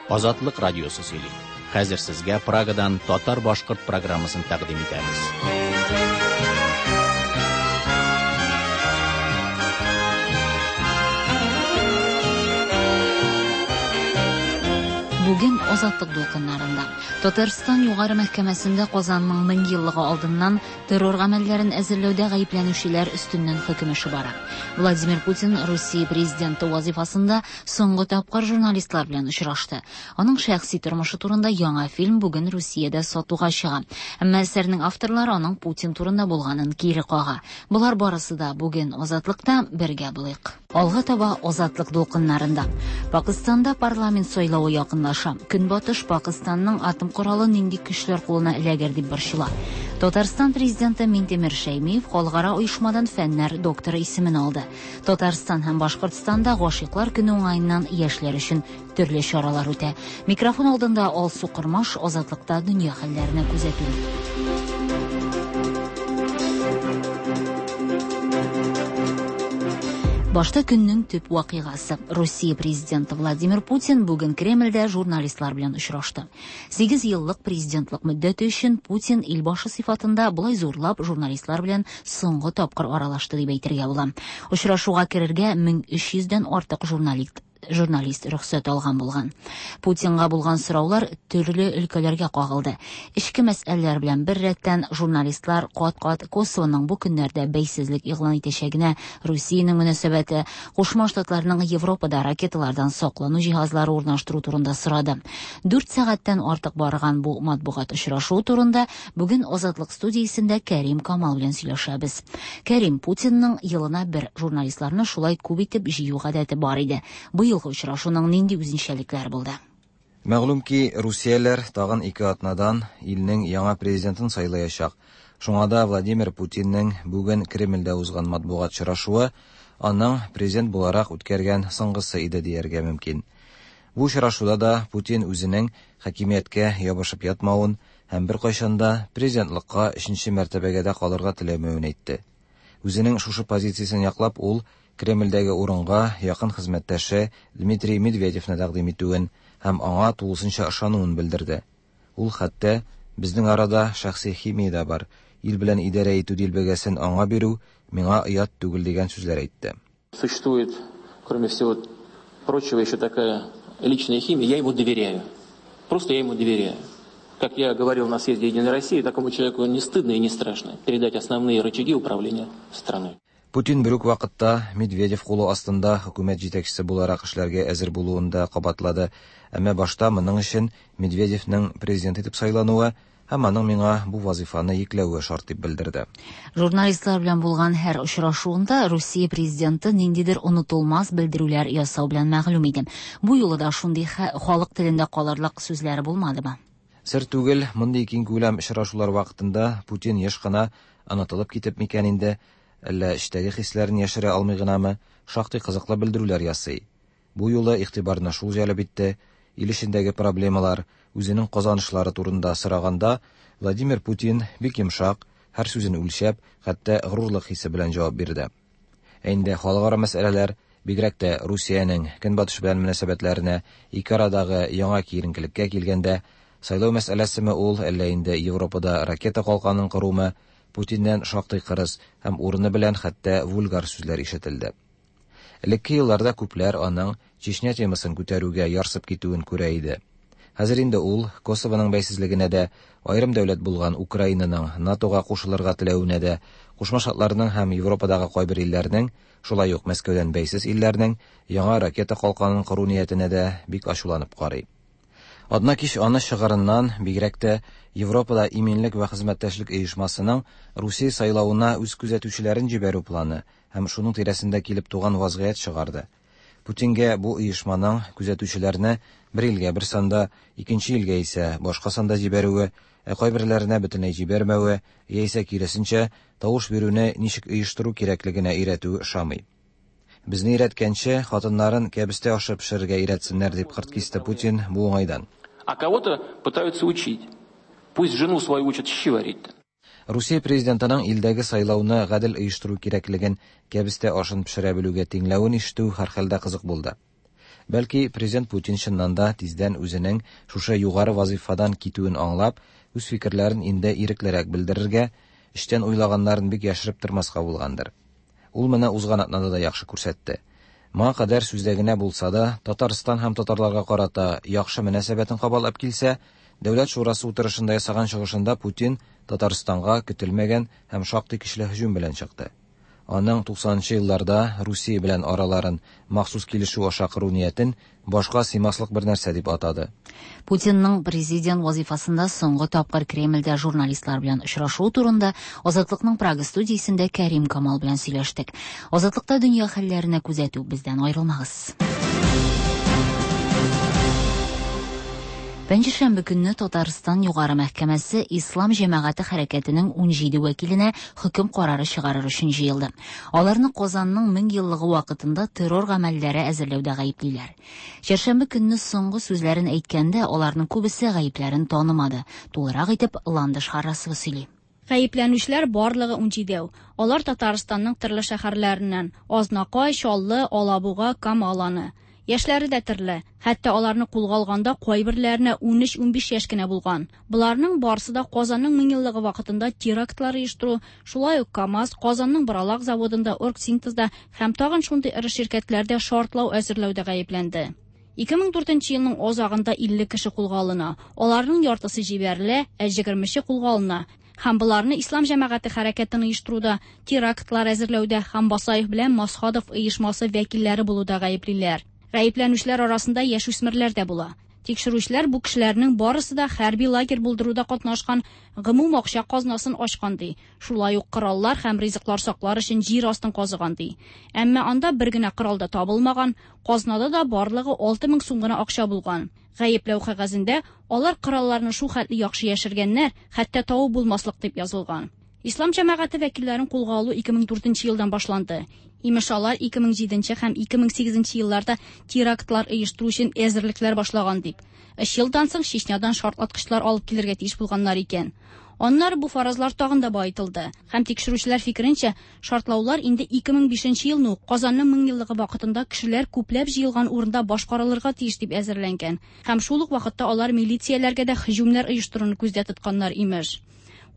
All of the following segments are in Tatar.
Азатлык радиосы сөйли. Хәзер сезгә Прагадан татар-башкорт программасын тәкъдим итәбез. Бүген Азатлык дулкыннарында Татарстан Югары мәхкәмәсендә Казанның 1000 еллыгы алдыннан террор гамәлләрен әзерләүдә гаепләнүчеләр өстеннән хөкем эше бара. Владимир Путин Русия президенты вазифасында соңгы тапкыр журналистлар белән очрашты. Аның шәхси тормышы турында яңа фильм бүген Русиядә сатуга чыга. Әмма әсәрнең авторлары аның Путин турында булганын кире кага. Болар барысы да бүген Азатлыкта бергә булыйк. Алга таба Азатлык дулкыннарында. Пакыстанда парламент сайлавы якынлаша. Көнбатыш Пакыстанның атом коралы нинди көчләр кулына эләгер дип борчыла. Татарстан президенты Минтимер Шәймиев халыкара оешмадан фәннәр докторы исемен алды. Татарстан һәм Башкортстанда гашыйклар көне уңаеннан яшьләр өчен төрле чаралар үтә. Микрофон алдында Алсу Кормаш, Азатлыкта дөнья хәлләренә күзәтү. Башта көннең төп вакыйгасы. Русия президенты Владимир Путин бүген Кремльдә журналистлар белән очрашты. 8 еллык президентлык мөддәте өчен Путин илбашы сыйфатында болай зурлап журналистлар белән соңгы тапкыр аралашты дип әйтергә була. Очрашуга керергә 1300дән артык журналист рөхсәт алган булган. Путинга булган сораулар төрле өлкәләргә кагылды. Эчке мәсьәләләр белән бер рәттән журналистлар кат-кат Косовоның бу көннәрдә бәйсезлек игълан итәчәгенә, Русиянең мөнәсәбәте, Кушма Штатларның Европада ракеталардан саклану җиһазлары урнаштыру турында сорады. 4 сәгатьтән артык барган бу матбугат очрашуы турында бүген Азатлык студиясендә Кәрим Камал белән сөйләшәбез. Кәрим, Путинның елына бер журналистларны шулай күп итеп җыю гадәте бар иде. Быелгы очрашуның нинди үзенчәлекләре булды? Мәгълүм ки, русияләр тагын 2 атнадан илнең яңа президентын сайлаячак. Шуңа да Владимир Путинның бүген Кремльдә узган матбугат очрашуы аның президент буларак үткәргән соңгысы иде дияргә мөмкин. Бу очрашуда да Путин үзенең хакимияткә ябышып ятмавын һәм беркайчан да президентлыкка 3нче мәртәбәгә дә калырга теләмәвен әйтте. Үзенең шушы позициясен яклап, ул Кремльдәге урынга якын хезмәттәше Дмитрий Медведевны тәкъдим итүен һәм аңа тулысынча ышануын белдерде. Ул хәтта безнең арада шәхси химия дә бар, ил белән идарә итү дилбегәсен аңа бирү миңа оят түгел дигән сүзләр әйтте. Существует, кроме всего прочего, еще такая личная химия. Я ему доверяю. Просто я ему доверяю. Как я говорил на съезде Единой России, такому человеку не стыдно и не страшно передать основные рычаги управления страной. Путин бер үк вакытта Медведев кулы астында хөкүмәт җитәкчесе буларак эшләргә әзер булуын да кабатлады. Әмма башта моның өчен Медведевның президент итеп сайлануы һәм аның миңа бу вазифаны йөкләве шарт дип белдерде. Журналистлар белән булган һәр очрашуында Русия президенты ниндидер онытылмас белдерүләр ясау белән мәгълүм иде. Бу юлы да шундый халык телендә калырлык сүзләре булмадымы? Сер түгел, мондый киң күләм очрашулар вакытында Путин еш кына онытылып китеп микән инде, әллә эчтәге хисләрен яшерә алмый гынамы, шактый кызыклы белдерүләр ясый. Бу юлы игътибарны шул җәлеп итте, ил эчендәге проблемалар, үзенең казанышлары турында сораганда, Владимир Путин бик йомшак, һәр сүзен үлчәп, хәтта горурлык хисе белән җавап бирде. Ә инде халыкара мәсьәләләр, бигрәк тә Русиянең Көнбатыш белән мөнәсәбәтләренә ике арадагы яңа киеренкелеккә килгәндә, сайлау мәсьәләсеме ул, әллә инде Европада ракета калканын корумы, Путиннән шактый кырыс һәм урыны белән хәтта вульгар сүзләр ишетелде. Элекке елларда күпләр аның Чечня темасын күтәрүгә ярсып китүен күрә иде. Хәзер инде ул Косовоның бәйсезлегенә дә, аерым дәүләт булган Украинаның НАТОга кушылырга теләвенә дә, Кушма Штатларның һәм Европадагы кайбер илләрнең, шулай ук Мәскәүдән бәйсез илләрнең яңа ракета калканын кору ниятенә дә бик ачуланып карый. Адна кич аны чыгарыннан, бигрәк тә Европада иминлек вә хезмәттәшлек оешмасының Русия сайлавына үз күзәтүчеләрен җибәрү планы һәм шуның тирәсендә килеп туган вазгыять чыгарды. Путингә бу оешманың күзәтүчеләрне бер илгә бер санда, икенче илгә исә башка санда җибәрүе, ә кайберләренә бөтенләй җибәрмәве, яисә киресенчә тавыш бирүне ничек оештыру кирәклегенә өйрәтү ошамый. Безне өйрәткәнче, хатыннарын кәбестә ашы пешерергә өйрәтсеннәр дип кырт кисте Путин бу уңайдан. А кого-то пытаются учить. Пусть жену свою учат щи варить. Русия президентының илдәге сайлауны гадел оештыру кирәклеген кәбестә ашын пешерә белүгә тиңләвен ишетү һәрхәлдә кызык булды. Бәлки, президент Путин чыннан да тиздән үзенең шушы югары вазыйфадан китүен аңлап, үз фикерләрен инде иреклерәк белдерергә, эчтән уйлаганнарын бик яшереп тормаска булгандыр. Ул моны узган атнада да яхшы күрсәтте. Моңа кадәр сүздә генә булса да, Татарстан һәм татарларга карата яхшы мөнәсәбәтен кабатлап килсә, Дәүләт шурасы утырышында ясаган чыгышында Путин Татарстанга көтелмәгән һәм шактый көчле һөҗүм белән чыкты. Аның 90 нчы елларда Русия белән араларын махсус килешү аша кору ниятен башка сыймаслык бер нәрсә дип атады. Путинның президент вазыйфасында соңгы тапкыр Кремльдә журналистлар белән очрашуы турында Азатлыкның Прага студиясендә Кәрим Камал белән сөйләштек. Азатлыкта дөнья хәлләренә күзәтү, бездән аерылмагыз. Пәнҗешәмбе көнне Татарстан Югары мәхкәмәсе Ислам җәмәгате хәрәкәтенең 17 вәкиленә хөкем карары чыгарыр өчен җыелды. Аларны Казанның 1000 еллыгы вакытында террор гамәлләре әзерләүдә гаеплиләр. Чәршәмбе көнне соңгы сүзләрен әйткәндә, аларның күбесе гаепләрен танымады. Тулырак итеп Ландыш Харрасова сөйли. Гаепләнүчеләр барлыгы унҗидәү. Алар Татарстанның төрле шәһәрләреннән, Азнакай, Чаллы, Алабуга, Кама Аланы. Яшьләре дә төрле. Хәтта аларны кулга алганда кайберләренә 13-15 яшь кенә булган. Боларның барысы да Казанның меңьеллыгы вакытында терактлар оештыру, шулай ук КАМАЗ, Казанның Боралак заводында, Оргсинтезда һәм тагын шундый эре ширкәтләрдә шартлау әзерләүдә гаепләнде. 2004 елның азагында 50 кеше кулга алына. Аларның яртысы җибәрелә, ә 20-че кулга алына. Һәм боларны Ислам җәмәгате хәрәкәтен оештыруда, терактлар әзерләүдә һәм Басаев белән Масхадов оешмасы вәкилләре булуда гаеплиләр. Гаепләнүчеләр арасында яшүсмерләр дә була. Тикшерүчеләр бу кешеләрнең барысы да хәрби лагерь булдыруда катнашкан, гомум акча казнасын ачкан ди. Шулай ук кораллар һәм ризыклар саклар өчен җир астын казыган ди. Әмма анда бер генә корал да табылмаган, казнада да барлыгы 6000 сум гына акча булган. Гаепләү кәгазендә алар коралларны шул хәтле яхшы яшергәннәр, хәтта табып булмаслык дип язылган. Ислам җәмәгате вәкилләрен кулга алу 2004 елдан башланды. Имеш, алар 2007 һәм 2008 елларда терактлар оештыру өчен әзерлекләр башлаган дип. Өч елдан соң Чечнядан шартлаткычлар алып килергә тиеш булганнар икән. Аннары бу фаразлар тагын да баетылды. Һәм тикшерүчеләр фикеренчә, шартлаулар инде 2005 елны ук Казанның меңьеллыгы вакытында кешеләр күпләп җыелган урында башкарылырга тиеш дип әзерләнгән. Һәм шул ук вакытта алар милицияләргә дә һөҗүмнәр оештыруны күздә тотканнар имеш.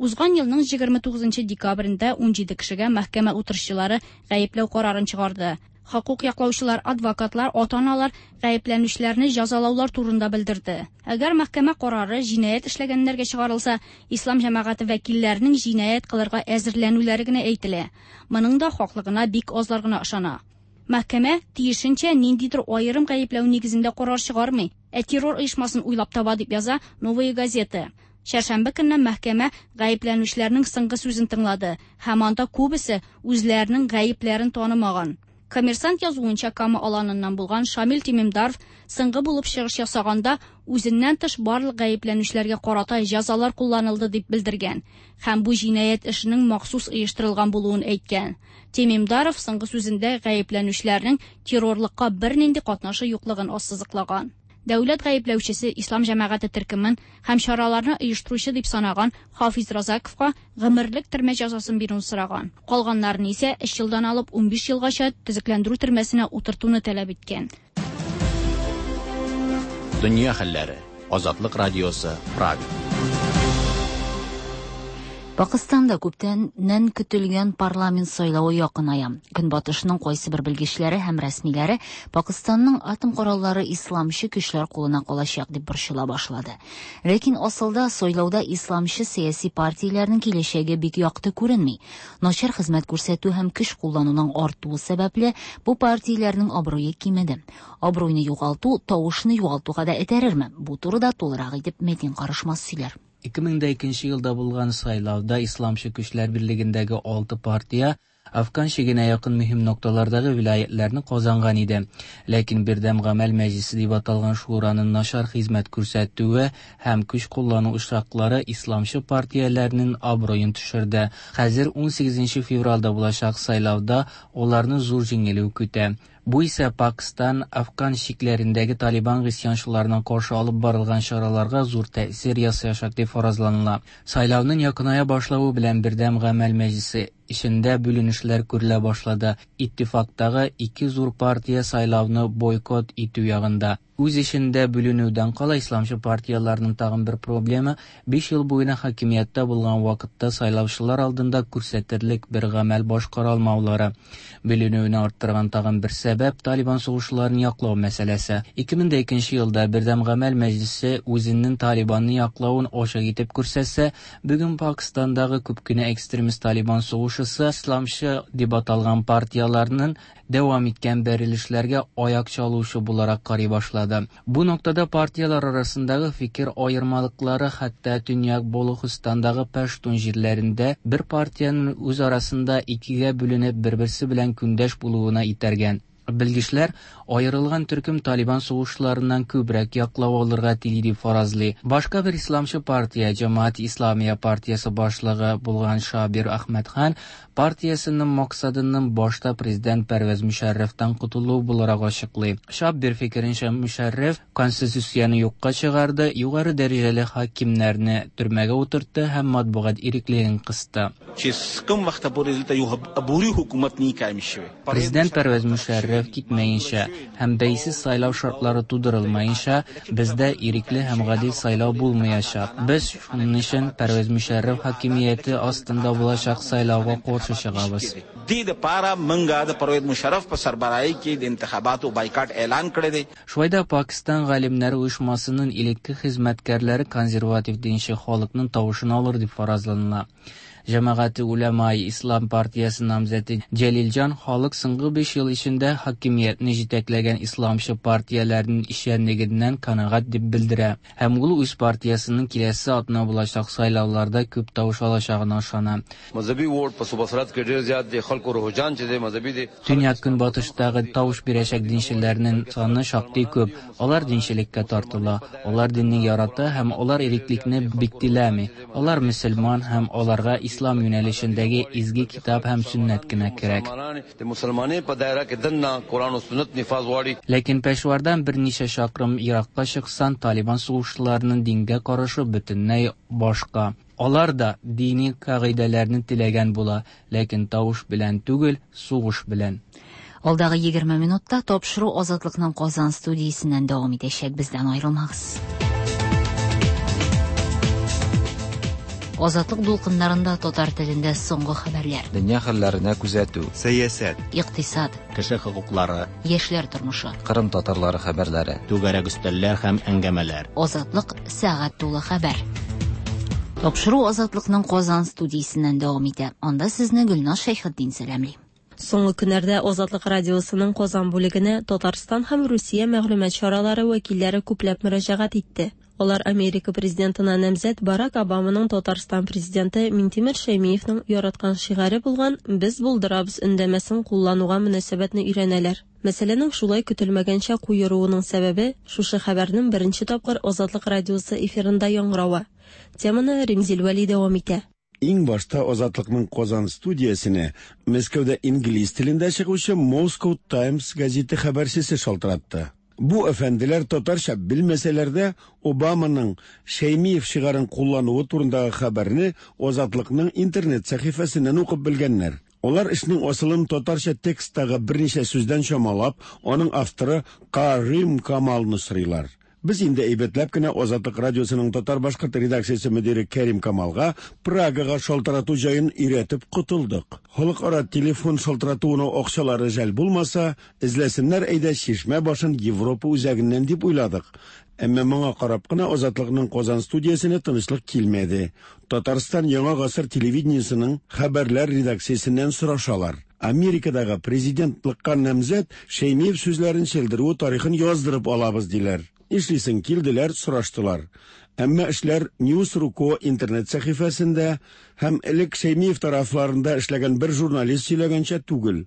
Узган елның 29 декабрендә 17 кешегә мәхкәмә утырышчылары гаепләү карарын чыгарды. Хокук яклаучылар, адвокатлар, ата-аналар гаепләнүчеләрне җәзалаулар турында белдерде. Әгәр мәхкәмә карары җинаять эшләгәннәргә чыгарылса, ислам җәмәгате вәкилләренең җинаять кылырга әзерләнүләре генә әйтелә. Моның да хаклыгына бик азлар гына ышана. Мәхкәмә тиешенчә ниндидер аерым гаепләү нигезендә карар чыгармый, ә террор оешмасын уйлап таба дип яза Новая газета. Чәршәмбе көнне мәхкәмә гаепләнүчеләрнең соңгы сүзен тыңлады һәм анда күбесе үзләренең гаепләрен танымаган. Коммерсант язуынча, Кама Аланыннан булган Шамил Тимимдаров соңгы булып чыгыш ясаганда үзеннән тыш барлык гаепләнүчеләргә карата җәзалар кулланылды дип белдергән һәм бу җинаять эшенең махсус оештырылган булуын әйткән. Тимимдаров соңгы сүзендә гаепләнүчеләрнең террорлыкка бернинди катнашы юклыгын ассызыклаган. Дәүләт гаепләүчесе Ислам җәмәгате төркемен һәм чараларны оештыручы дип санаган Хафиз Разаковка гомерлек төрмә җәзасын бирүен сораган. Калганнарын исә 3 елдан алып 15 елгача төзекләндерү төрмәсенә утыртуны таләп иткән. Дөнья хәлләре. Азатлык радиосы, Прага. Пакыстанда күптәннән көтелгән парламент сайлавы якыная. Көнбатышның кайсы бер белгечләре һәм рәсмиләре Пакыстанның атом кораллары исламчы көчләр кулына калачак дип борчыла башлады. Ләкин асылда сайлауда исламчы сәяси партияләрнең киләчәге бик якты күренми. Начар хезмәт күрсәтү һәм көч куллануның артуы сәбәпле бу партияләрнең абруе кимеде. Абруйны югалту тавышны югалтуга да этәрерме? Бу турыда тулырак итеп Метин Карышмас сөйләр. 2002 елда булган сайлауда Исламчы көчләр берлегендәге 6 партия Афган чигенә якын мөһим нокталардагы вилаятларны казанган иде. Ләкин Бердәм гамәл мәҗлисе дип аталган шураның начар хезмәт күрсәтүе һәм көч куллану очраклары исламчы партияләрнең абруен төшерде. Хәзер 18 февральдә булачак сайлауда аларны зур җиңелү көтә. Бу исә Пакстан, Афган чикләрендәге Талибан гыйсьянчыларына каршы алып барылган чараларга зур тәэсир ясаячак дип фаразланыла. Сайлауның якыная башлавы белән Бердәм гамәл мәҗлесе эчендә бүленешләр күрелә башлады. Иттифактагы ике зур партия сайлауны бойкот итү ягында. Үз эчендә бүленүдән кала исламчы партияләрнең тагын бер проблемы, 5 ел буена хакимияттә булган вакытта сайлаучылар алдында күрсәтерлек бер гамәл башкара алмаулары. Бүленүне арттырган тагын бер сәбәп Талибан сугышчыларын яклау мәсьәләсе. 2002 елда Бердәм гамәл мәҗлесе үзенең Талибанны яклавын ачык итеп күрсәтсә, бүген Пакистандагы күп кенә экстремист Талибан сугышчысы исламчы дип аталган партияләрнең дәвам иткән бәрелешләргә аяк чалучы буларак карый башлады. Бу ноктада партияләр арасындагы фикер аермалыклары хәтта Төньяк Болухстандагы пәштун җирләрендә бер партиянең үз арасында икегә бүленеп бер-берсе белән көндәш булуына итәргән. Белгечләр аерылган төркем Талибан сугышчыларыннан күбрәк яклау алырга тели дип фаразлый. Башка бер исламчы партия, Җәмәгать Исламия партиясе башлыгы булган Шабир Әхмәдхан партиясенең максатының башта президент Пәрвәз Мөшәррәфтән котылу буларак ачыклый. Шабир фикеренчә, Мөшәррәф конституцияне юкка чыгарды, югары дәрәҗәле хакимнәрне төрмәгә утыртты һәм матбугат иреклеген кысты. چې کوم وخت پورې دلته یو عبوري حکومت نه قائم شوی. Президент Пәрвәз Мөшәррәф китмәенчә һәм бәйсез сайлау шартлары тудырылмаенча, бездә ирекле һәм гадил сайлау булмаячак. Без шуның өчен Пәрвәз Мөшәррәф хакимияте астында булачак сайлауга каршы чыгабыз. دې لپاره مونږه د پرویز مشرف په سربراهۍ کې د انتخاباتو بایکاټ اعلان کړی دی. Шулай да Пакистан галимнәре оешмасының элекке хезмәткәрләре консерватив динче халыкның тавышын алыр дип фаразланыла. Җәмәгате Улямай Ислам партиясе намзәте Җәлилҗан халык соңгы 5 ел эчендә хакимиятне җитәкләгән исламчы партияләрнең эшчәнлегеннән канәгать дип белдерә. Һәм ул үз партиясенең киләсе атна булачак сайлауларда күп тавыш алачагына ышана. مذهبي ووټ په صوبه سرحد کې ډیر زیات دی، خلکو رجحان چې دی مذهبي دی. Төньяк көнбатыштагы тавыш бирәчәк динчеләрнең саны шактый күп. Алар динчелеккә тартыла, алар динне ярата һәм алар иреклекне бик теләми. Алар мөселман һәм аларга ислам юнәлешендәге изге китап һәм сөннәт кенә кирәк. د مسلمانۍ په دایره کې دننه قرآن او سنت نفاذ غواړي. Ләкин Пешвардан берничә чакрым еракка чыксаң, Талибан сугышчыларының дингә карашы бөтенләй башка. Алар да дини кагыйдәләрне теләгән була, ләкин тавыш белән түгел, сугыш белән. Алдагы 20 минутта тапшыру Азатлыкның Казан студиясеннән дәвам итәчәк. Бездән аерылмагыз. Азатлык дулкыннарында татар телендә соңгы хәбәрләр. Дөнья хәлләренә күзәтү, Сәясәт, Икътисад, Кеше хокуклары, яшьләр тормышы. Кырым татарлары хәбәрләре. Түгәрәк өстәлләр һәм әңгәмәләр. Азатлык сәгать тулы хәбәр. Тапшыру Азатлыкның Казан студиясеннән дәвам итә. Анда сезне Гөлназ Шәйхетдин сәламли. Соңгы көннәрдә Азатлык радиосының Казан бүлегенә Татарстан һәм Русия мәгълүмат чаралары вәкилләре күпләп мөрәҗәгать итте. Алар Америка президентына намзәт Барак Обаманың Татарстан президенты Минтимер Шәймиевның яраткан шигаре булган «Без булдырабыз» өндәмәсен куллануга мөнәсәбәтне өйрәнәләр. Мәсьәләнең шулай көтелмәгәнчә куеруының сәбәбе шушы хәбәрнең беренче тапкыр Азатлык радиосы эфирында яңгыравы. Теманы Римзил Вәли дәвам итә. Иң башта Азатлыкның Казан студиясенә Мәскәүдә инглиз телендә чыгучы Moscow Times газеты хәбәрчесе шалтыратты. Бу әфәнделәр татарча белмәсәләр дә Обаманың Шәймиев шигарын куллануы турындагы хәбәрне Азатлыкның интернет сәхифәсеннән укып белгәннәр. Алар эшнең асылын татарча тексттагы берничә сүздән чамалап, аның авторы Карим Камалны сорыйлар. Без инде әйбәтләп кенә Азатлык радиосының татар-башкорт редакциясе мөдире Кәрим Камалга Прагага шалтырату җаен өйрәтеп котылдык. Халыкара телефон шалтыратуына акчалары жәл булмаса, эзләсеннәр әйдә чишмә башын Европа үзәгеннән дип уйладык. Әмма моңа карап кына Азатлыкның Казан студиясенә тынычлык килмәде. Татарстан Яңа гасыр телевидениесының хәбәрләр редакциясеннән сорашалар. Америкадагы президентлыкка намзәт Шәймиев сүзләрен чәлдерүе тарихын яздырып алабыз диләр. Нишлисең, килделәр, сораштылар. Әмма эшләр News.ru.co интернет сәхифәсендә һәм элек Шәймиев тарафларында эшләгән бер журналист сөйләгәнчә түгел.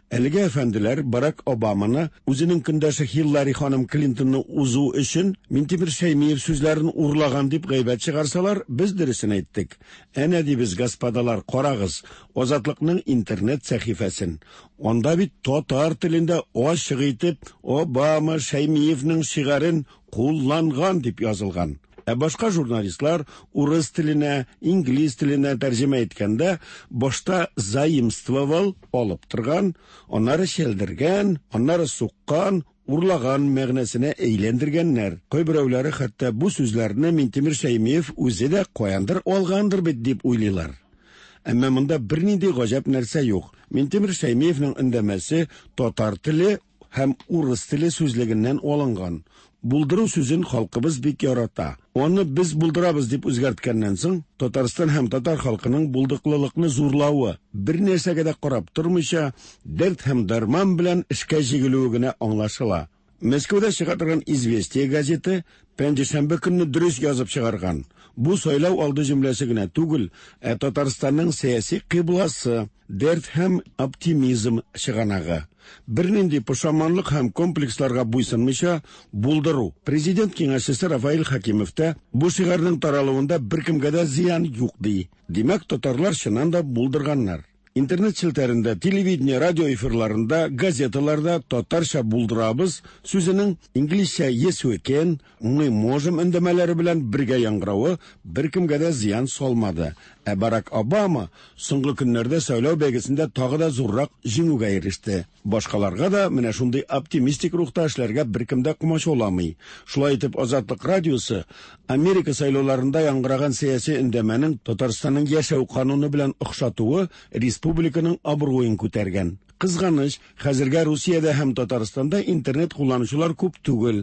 Әлеге әфәнделәр Барак Обаманы үзенең көндәше Хиллари ханым Клинтонны узу өчен Минтимер Шәймиев сүзләрен урлаган дип гайбәт чыгарсалар, без дөресен әйттек. Әнә дибез, господалар, карагыз, Азатлыкның интернет сәхифәсен. Анда бит татар телендә ачык итеп Обама Шәймиевның шигарен кулланган дип язылган. Ә башка журналистлар урыс теленә, инглиз теленә тәрҗемә иткәндә башта заимствовал алып торган, аннары чәлдергән, аннары суккан, урлаган мәгънәсенә әйләндергәннәр. Кайберәүләре хәтта бу сүзләрне Минтимер Шәймиев үзе дә каяндыр алгандыр бит дип уйлыйлар. Әмма монда бернинди гаҗәп нәрсә юк. Минтимер Шәймиевның өндәмәсе татар теле һәм урыс теле сүзлегеннән алынган. Булдыру сүзен халкыбыз бик ярата. Аны без булдырабыз дип үзгәрткәннән соң, Татарстан һәм татар халкының булдыклылыкны зурлавы, бер нәрсәгә дә карап тормыйча, дәрт һәм дәрман белән эшкә җигелүе генә аңлашыла. Мәскәүдә чыга торган «Известия» газеты пәнҗешәмбе көнне дөрес язып чыгарган. Бу сайлау алды җөмләсе генә түгел, ә Татарстанның сәяси кыйбласы, дәрт һәм оптимизм чыганагы. Бернинди пошаманлык һәм комплексларга буйсынмыйча булдыру. Президент киңәшчесе Рафаэль Хәкимов та бу шигарның таралуында беркемгә дә зыян юк ди. Димәк, татарлар чыннан да булдырганнар. Интернет челтәрендә, телевидение, радио эфирларында, газеталарда татарча булдырабыз сүзенең инглизчә yes we can, мы можем өндәмәләре белән бергә яңгыравы беркемгә дә зыян салмады. Ә Барак Обама соңгы көннәрдә сайлау бәйгесендә тагы да зуррак җиңүгә иреште. Башкаларга да менә шундый оптимистик рухта эшләргә беркем дә комачауламый. Шулай итеп, Азатлык радиосы Америка сайлауларында яңгыраган сәяси өндәмәнең Татарстанның яшәү кануны белән охшатуы республиканың абруен күтәргән. Кызганыч, хәзергә Русиядә һәм Татарстанда интернет кулланучылар күп түгел.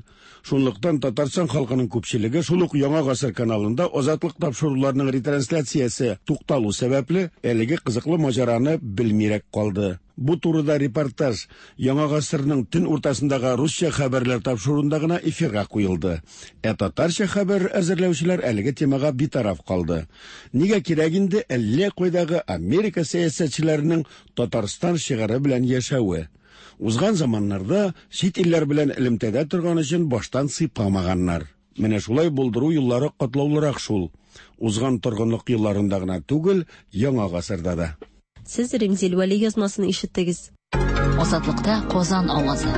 Шунлыктан Татарстан халкының күпчелеге шул ук Яңа гасыр каналында Азатлык тапшыруларының ретрансляциясе тукталу сәбәпле әлеге кызыклы маҗараны белмирәк калды. Бу турыда репортаж Яңа гасырның төн уртасындагы русча хәбәрләр тапшыруында гына эфирга куелды. Ә татарча хәбәр әзерләүчеләр әлеге темага битараф калды. Нигә кирәк инде әллә кайдагы Америка сәясәтчеләренең Татарстан шигаре белән яшәве? Узган заманнарда чит илләр белән элемтәдә торган өчен баштан сыйпамаганнар. Менә шулай булдыру юллары катлаулырак шул. Узган торгынлык елларында гына түгел, яңа гасырда да. Сез Римзил Вәли язмасын ишеттегез. Азатлыкта Казан авазы.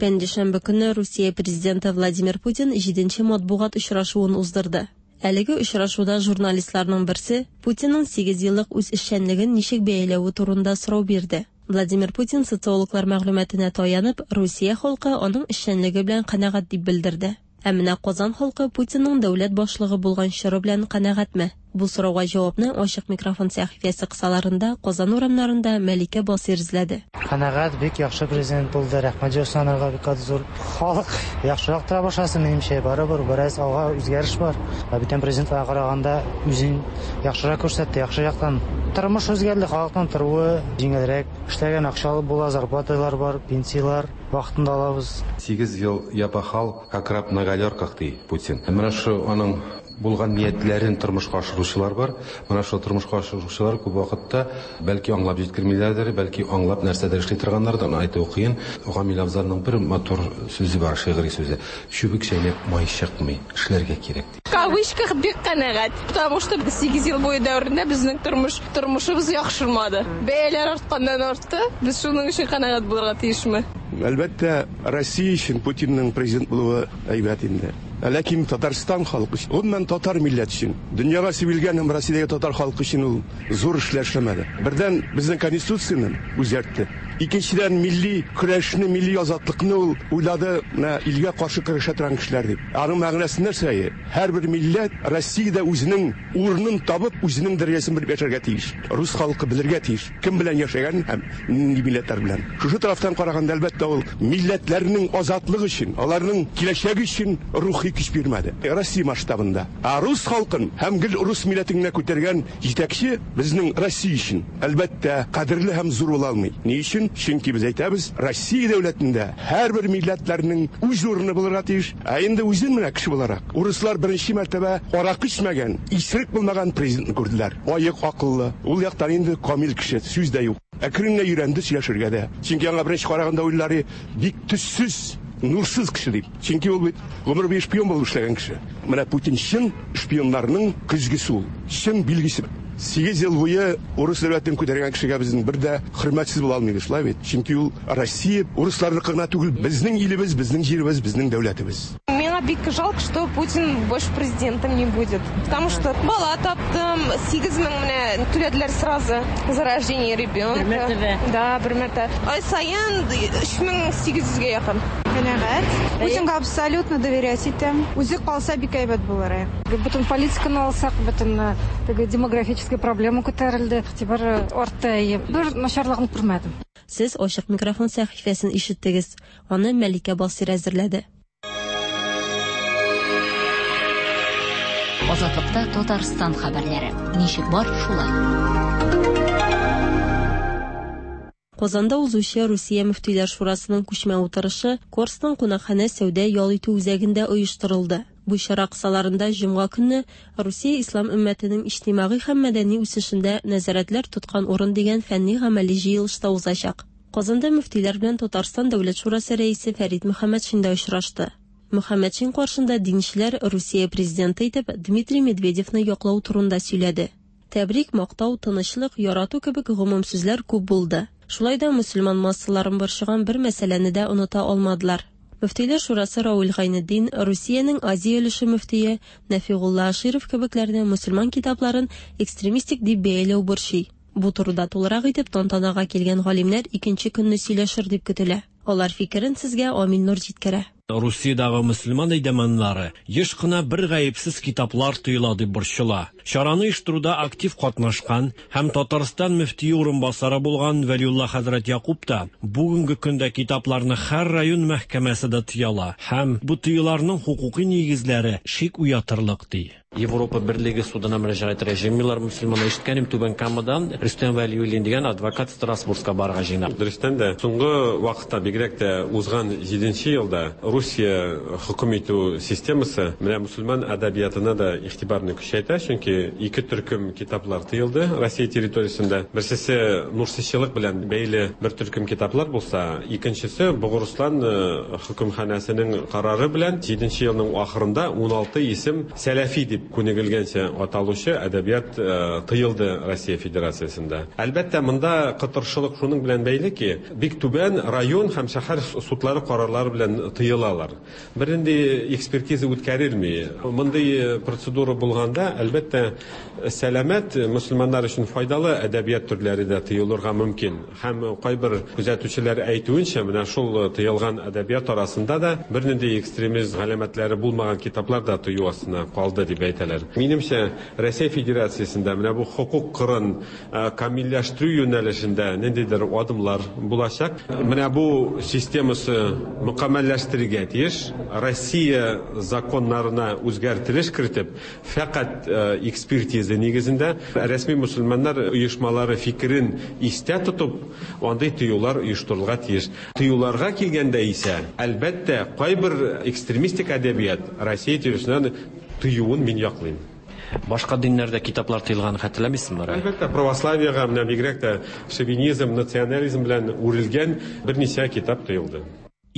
Пәнҗешәмбе көнне Русия президенты Владимир Путин җиденче матбугат очрашуын уздырды. Әлеге очрашуда журналистларның берсе Путинның 8 еллык үз эшчәнлеген ничек бәяләве турында сорау бирде. Владимир Путин социологлар мәгълүматына таянып, Русия халкы аның эшчәнлеге белән канәгать дип белдерде. Ә менә Казан халкы Путинның дәүләт башлыгы булган чоры белән канәгатьме? Бу сорауга җавапны ачык микрофон сәхифәсе кысаларында Казан урамнарында Мәликә Басыйр эзләде. Канәгать, бик яхшы президент булды. Рәхмәт җыйсын анарга бик каты зур. Халык яхшырак тора башласын, минемчә, барыбер бераз алга үзгәреш бар. Ә бүтән президентларга караганда үзен яхшырак күрсәтте, яхшы яктан. Тормыш үзгәрде, халыкның торуы җиңелрәк. Эшләгән акча алып була, зарплаталар бар, пенсияләр вакытында алабыз. 8 ел я пахал, как раб на галерках, ди Путин. Менә шу аның булган ниятләрен тормышка ашыручылар бар. Менә шул тормышка ашыручылар күп вакытта бәлки аңлап җиткермиләрдер, бәлки аңлап нәрсәдер эшли торганнардыр, аны әйтү кыен. Гамил Абзалның бер матур сүзе бар, шигъри сүзе. Чүбек чәйнәп май чыкмый, эшләргә кирәк ди. В кавычках бик канәгать, потому что 8 ел буе дәверендә безнең тормыш тормышыбыз яхшырмады. Бәяләр артканнан артты. Без шуның өчен канәгать булырга тиешме? Әлбәттә, Россия өчен Путинның президент булуы әйбәт инде. Ләкин Татарстан халкы өчен, гомумән татар милләте өчен, дөньяга сибелгән һәм Россиядәге татар халкы өчен ул зур эшләр эшләмәде. Бердән, безнең конституцияне үзгәртте. Икенчедән, милли көрәшне, милли азатлыкны ул уйлады, менә илгә каршы көрәшә торган кешеләр дип. Аның мәгънәсе нәрсә? Һәрбер милләт Россиядә үзенең урынын табып, үзенең дәрәҗәсен белеп яшәргә тиеш. Рус халкы белергә тиеш, кем белән яшәгән һәм нинди милләтләр белән. Шушы тарафтан караганда, әлбәттә, ул милләтләрнең азатлыгы өчен, аларның киләчәге өчен рухи рухи көч бирмәде. Россия масштабында. Ә рус халкын һәм гел рус милләтен генә күтәргән җитәкче безнең Россия өчен, әлбәттә, кадерле һәм зур була алмый. Ни өчен? Чөнки без әйтәбез, Россия дәүләтендә һәрбер милләтләрнең үз урыны булырга тиеш. Ә инде үзен менә кеше буларак, урыслар беренче мәртәбә аракы эчмәгән, исерек булмаган президентны күрделәр. Аек акыллы, ул яктан инде камил кеше, сүз дә юк. Әкрен генә өйрәнде сөйләшергә дә. Чөнки аңа беренче караганда уйлары бик төссез, нурсыз кеше дип. Чөнки ул бит гомер буе шпион булып эшләгән кеше. Менә Путин чын шпионнарның көзгесе ул, чын билгесе. 8 ел буе урыс дәүләтен күтәргән кешегә безнең бер дә хөрмәтсез була алмыйбыз, шулай бит? Чөнки ул Россия урысларныкы гына түгел, безнең илебез, безнең җиребез, безнең дәүләтебез. Миңа бик жалко, что Путин больше президентом не будет. Потому что бала таптым, 8 мең менә түләделәр сразу за рождение ребенка. Бер мәртәбә. Да, бер мәртәбә. Ай саен 3800гә якын. Канәгать. Путинга абсолютно доверять итәм. Үзе калса бик әйбәт булыр. Бөтен политиканы алсак, бөтен теге демографическая проблема күтәрелде, игътибар артты. Әйе, бер начарлыгын күрмәдем. Сез Ачык микрофон сәхифәсен ишеттегез. Аны Мәликә Басыйр әзерләде. Азатлыкта Татарстан хәбәрләре. Ничек бар, шулай. Казанда узучы Русия мөфтиләр шурасының күчмә утырышы Корстон кунакханә сәүдә-ял итү үзәгендә оештырылды. Бу чара кысаларында җомга көнне Русия ислам өммәтенең иҗтимагый һәм мәдәни үсешендә нәзарәтләр тоткан урын дигән фәнни-гамәли җыелыш та узачак. Казанда мөфтиләр белән Татарстан Дәүләт шурасы рәисе Фәрит Мөхәммәтшин дә очрашты. Мөхәммәтшин каршында динчеләр Русия президенты итеп Дмитрий Медведевны яклау турында сөйләде. Тәбрик, мактау, тынычлык, ярату кебек гомум сүзләр күп булды. Шулай да мөселман массаларын борчыган бер мәсьәләне дә оныта алмадылар. Мөфтиләр шурасы Равил Гайнетдин, Русиянең Азия өлеше мөфтие Нәфигулла Аширов кебекләрне мөселман китапларын экстремистик дип бәяләү борчый. Бу турыда тулырак итеп тантанага килгән галимнәр икенче көнне сөйләшер дип көтелә. Алар фикерен сезгә Амил Нур җиткерә. Русиядагы мөселман әйдәманнары еш кына бер гаепсез китаплар тыела дип борчыла. Чараны оештыруда актив катнашкан һәм Татарстан мөфтие урынбасары булган Вәлиулла хәзрәт Якуб та бүгенге көндә китапларны һәр район мәхкәмәсе дә тыяла һәм бу тыюларның хокукый нигезләре шик уятырлык ди. Европа Берлеге судына мөрәҗәгать итәргә җыенмыйлар мөселманнар. Ишеткәнем, Түбән Камадан Рөстәм Вәлиуллин дигән адвокат Страсбургка барырга җыена. Дөрестән дә, соңгы вакытта, бигрәк тә узган җиденче елда Русия хөкем итү системасы менә мөселман әдәбиятына да игътибарны көчәйтә, чөнки ике төркем китаплар тыелды Россия территориясендә. Берсесе нурсичылык белән бәйле бер төркем китаплар булса, икенчесе Богырыслан хөкемханәсенең карары белән җиденче елның ахырында 16 исем сәләфи дип күнегелгәнчә аталучы әдәбият тыелды Россия Федерациясендә. Әлбәттә, монда кытыршылык шуның белән бәйле ки, бик түбән район һәм шәһәр судлары карарлары белән тыелалар. Бернинди экспертиза үткәрелми. Мондый процедура булганда, әлбәттә, сәламәт мөселманнар өчен файдалы әдәбият төрләре дә тыелырга мөмкин. Һәм кайбер күзәтүчеләр әйтүенчә, менә шул тыелган әдәбият арасында да бернинди экстремизм галәмәтләре булмаган китаплар да тыю астына калды дип әйтәләр. Минемчә, Рәсәй Федерациясендә менә бу хокук кырын камилләштерү юнәлешендә ниндидер адымлар булачак. Менә бу системасы мөкәммәлләштерергә тиеш. Россия законнарына үзгәртелеш кертеп, фәкать экспертиза нигезендә рәсми мөселманнар оешмалары фикерен истә тотып, андый тыюлар оештырылырга тиеш. Тыюларга килгәндә исә, әлбәттә, кайбер экстремистик әдәбият Россия территориясеннән тыюын мин яклыйм. Башка диннәрдә китаплар тыелганын хәтерләмисезме, Рай? Әлбәттә, православиегә, менә бигрәк тә шовинизм, национализм белән үрелгән берничә китап тыелды.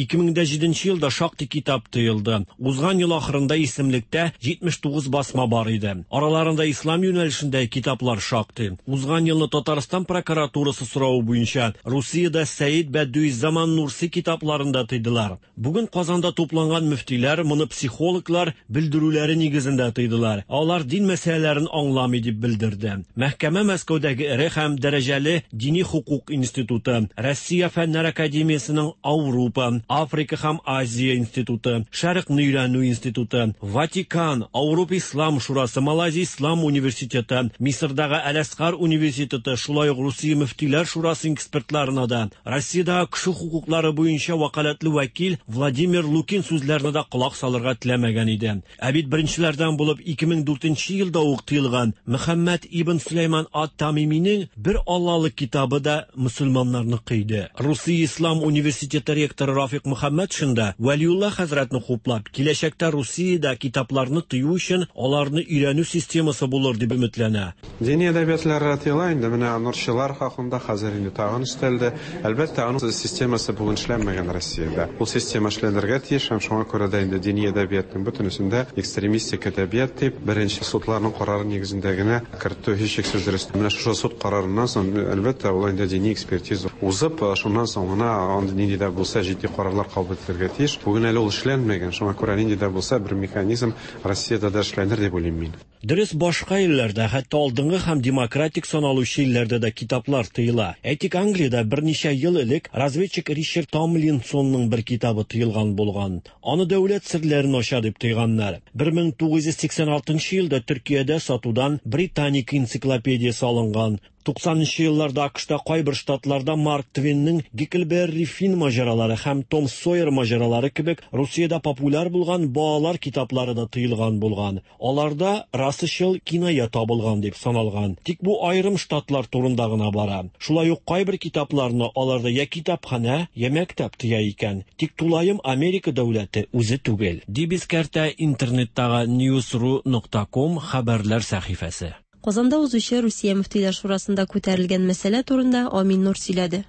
2007 елда шактый китап тыелды. Узган ел ахырында исемлектә 79 басма бар иде. Араларында ислам юнәлешендәге китаплар шактый. Узган елны Татарстан прокуратурасы соравы буенча Русиядә Сәид Бәдүиззаман Нурси китапларын да тыйдылар. Бүген Казанда тупланган мөфтиләр моны психологлар белдерүләре нигезендә тыйдылар. Алар дин мәсьәләләрен аңламый дип белдерде. Мәхкәмә Мәскәүдәге эре һәм дәрәҗәле дини хокук институты, Россия фәннәр академиясенең Аурупа, Африка һәм Азия институты, Шәрыкны өйрәнү институты, Ватикан, Ауропа Ислам шурасы, Малайзия Ислам университеты, Мисырдагы Әл-Әзһар университеты, шулай ук Русия мөфтиләр шурасы экспертларына да, Россиядәге кеше хокуклары буенча вәкаләтле вәкил Владимир Лукин сүзләренә дә колак салырга теләмәгән иде. Ә бит беренчеләрдән булып 2004 елда ук тыелган Мөхәммәд ибн Сөләйман ат-Тамиминең Бер Аллалык китабы да мөселманнарныкы иде. Русия ислам университеты ректоры Рафик Мөхәммәтшин да Вәлиулла хәзрәтне хуплап, киләчәктә Русиядә китапларны тыю өчен аларны өйрәнү системасы булыр дип өметләнә. Дини әдәбиятлар тыела инде, менә нурчылар хакында хәзер инде тагын өстәлде. Әлбәттә, аның системасы бүген эшләнмәгән Россиядә. Ул система эшләнергә тиеш һәм шуңа күрә дә инде дини әдәбиятның бөтенесен дә экстремистик әдәбият дип, беренче судларның карары нигезендә генә кертү һичшиксез дөрес. Менә шушы суд карарыннан соң, әлбәттә, ул инде дини экспертиза узып, шуннан соң гына андый нинди дә булса җитди карарлар кабул ителергә тиеш. Бүген әле ул эшләнмәгән, шуңа күрә нинди дә булса бер механизм Россиядә дә эшләнер дип уйлыйм мин. Дөрес, башка илләрдә, хәтта алдынгы һәм демократик саналучы илләрдә дә китаплар тыела. Әйтик, Англиядә берничә ел элек разведчик Ричард Томлинсонның бер китабы тыелган булган. Аны дәүләт серләрен ача дип тыйганнар. 1986 елда Төркиядә сатудан Британика энциклопедиясе алынган. 90 нчы елларда АКШта кайбер штатларда Марк Твенның Гекльберри Финн маҗаралары һәм Том Сойер маҗаралары кебек Русиядә популяр булган балалар китаплары да тыелган булган. Аларда расачыл киная табылган дип саналган. Тик бу аерым штатлар турында гына бара. Шулай ук кайбер китапларны аларда я китапханә, я мәктәп тыя икән. Тик тулаем Америка дәүләте үзе түгел, дип искәртә интернеттагы newsru нокта ком хәбәрләр сәхифәсе. Казанда узучы Русия мөфтиләр шурасында күтәрелгән мәсьәлә турында Амин Нур сөйләде.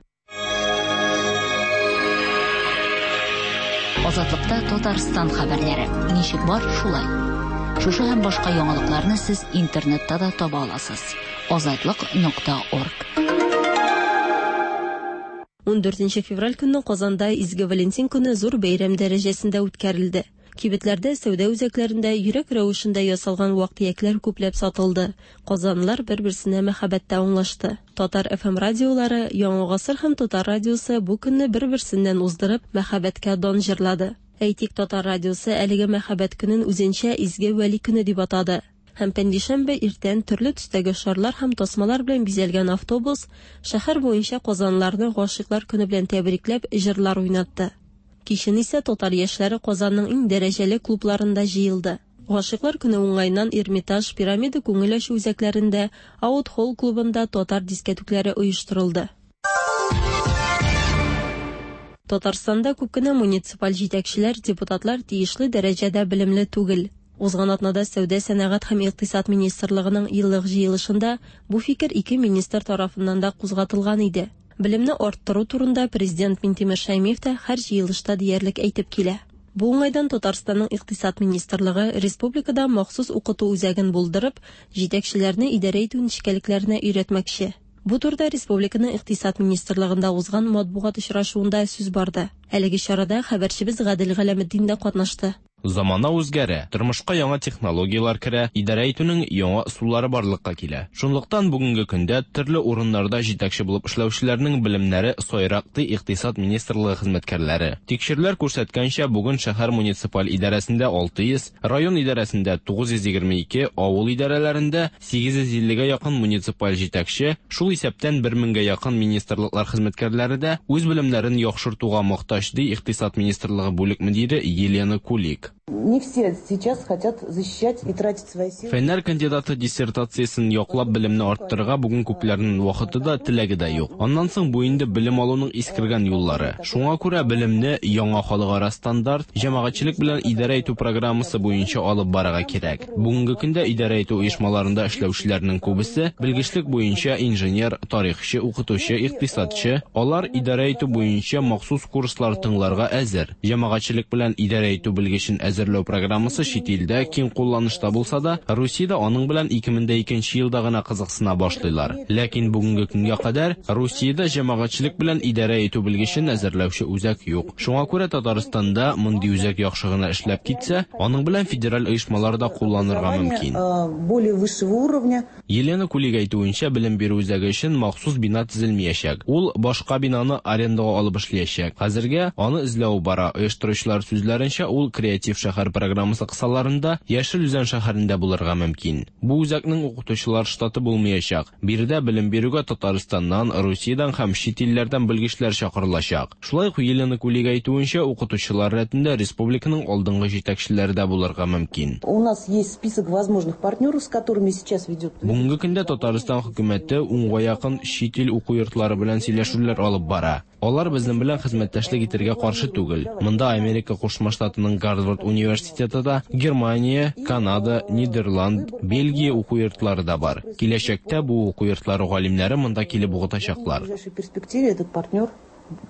Азатлыкта Татарстан хәбәрләре. Ничек бар, шулай. Шушы һәм башка яңалыкларны сез интернетта да таба аласыз. Азатлык нокта орг. 14 февраль көнне Казанда Изге Валентин көне зур бәйрәм дәрәҗәсендә үткәрелде. Кибетләрдә, сәүдә үзәкләрендә йөрәк рәвешендә ясалган вак-төякләр күпләп сатылды. Казанлылар бер-берсенә мәхәббәттә аңлашты. Татар FM радиолары, Яңа гасыр һәм Татар радиосы бу көнне бер-берсеннән уздырып, мәхәббәткә дан җырлады. Әйтик, Татар радиосы әлеге мәхәббәт көнен үзенчә Изге Вәли көне дип атады. Һәм пәнҗешәмбе иртән төрле төстәге шарлар һәм тасмалар белән бизәлгән автобус шәһәр буенча казанлыларны Гашыйклар көне белән тәбрикләп, җырлар уйнатты. Кичен исә татар яшьләре Казанның иң дәрәҗәле клубларында җыелды. Гашыйклар көне уңаеннан Эрмитаж, Пирамида күңел ачу үзәкләрендә, Аут-холл клубында татар дискәтүкләре оештырылды. Татарстанда күп кенә муниципаль җитәкчеләр, депутатлар тиешле дәрәҗәдә белемле түгел. Узган атнада Сәүдә-сәнәгать һәм икътисад министрлыгының еллык җыелышында бу фикер ике министр тарафыннан да кузгатылган иде. Белемне арттыру турында Президент Минтимер Шәймиев тә һәр җыелышта диярлек әйтеп килә. Бу уңайдан Татарстанның Икътисад министрлыгы республикада махсус укыту үзәген булдырып, җитәкчеләрне идарә итү нечкәлекләренә өйрәтмәкче. Бу турыда республиканың Икътисад министрлыгында узган матбугат очрашуында сүз барды. Әлеге чарада хәбәрчебез Гадел Галәметдин дә катнашты. Замана үзгәрә, тормышка яңа технологияләр керә, идарә итүнең яңа ысуллары барлыкка килә. Шунлыктан бүгенге көндә төрле урыннарда җитәкче булып эшләүчеләрнең белемнәре сайрак, ди Икътисад министрлыгы хезмәткәрләре. Тикшерүләр күрсәткәнчә, бүген шәһәр муниципаль идарәсендә 600, район идарәсендә 922, авыл идарәләрендә 850 гә якын муниципаль җитәкче, шул исәптән бер меңгә якын министрлыклар хезмәткәрләре дә үз белемнәрен яхшыртуга мохтаҗ, ди Икътисад министрлыгы бүлек мөдире Елена Кулик. Не все сейчас хотят защищать и тратить свои силы. Фәннәр кандидаты диссертациясен яклап белемне арттырырга бүген күпләрнең вакыты да, теләге дә юк. Аннан соң бу инде белем алуның искергән юллары. Шуңа күрә белемне яңа халыкара стандарт, җәмәгатьчелек белән идарә итү программасы буенча алып барырга кирәк. Бүгенге көндә идарә итү оешмаларында эшләүчеләрнең күбесе белгечлек буенча инженер, тарихчы, укытучы, икътисадчы. Алар идарә итү буенча махсус курслар тыңларга әзер. Җәмәгатьчелек белән идарә итү белгечен әзерләү әзерләү программасы чит илдә киң кулланышта булса да, Русиядә аның белән 2002 елда гына кызыксына башлыйлар. Ләкин бүгенге көнгә кадәр Русиядә җәмәгатьчелек белән идарә итү белгечен әзерләүче үзәк юк. Шуңа күрә Татарстанда мондый үзәк яхшы гына эшләп китсә, аның белән федераль оешмалар да кулланырга мөмкин. Более высшего уровня. Елена Кулик әйтүенчә, белем бирү үзәге өчен махсус бина төзелмиячәк. Ул башка бинаны арендага алып эшлиячәк. Хәзергә аны эзләү бара. Оештыручылар сүзләренчә, ул Креатив шәһәр программасы кысаларында Яшел Үзән шәһәрендә булырга мөмкин. Бу үзәкнең укытучылар штаты булмыячак. Биредә белем бирүгә Татарстаннан, Русиядән һәм чит илләрдән белгечләр чакырылачак. Шулай ук Елена Кулик әйтүенчә, укытучылар рәтендә республиканың алдынгы җитәкчеләре дә булырга мөмкин. У нас есть список возможных партнеров, с которыми сейчас ведет. Бүгенге көндә Татарстан хөкүмәте унга якын чит ил уку йортлары белән сөйләшүләр алып бара. Алар безнең белән хезмәттәшлек итәргә каршы түгел. Монда Америка Кушма Штатының Гарвард университеты да, Германия, Канада, Нидерланд, Бельгия уку йортлары да бар. Киләчәктә бу уку йортлары галимнәре монда килеп укытачаклар. В ближайшей перспективе этот партнер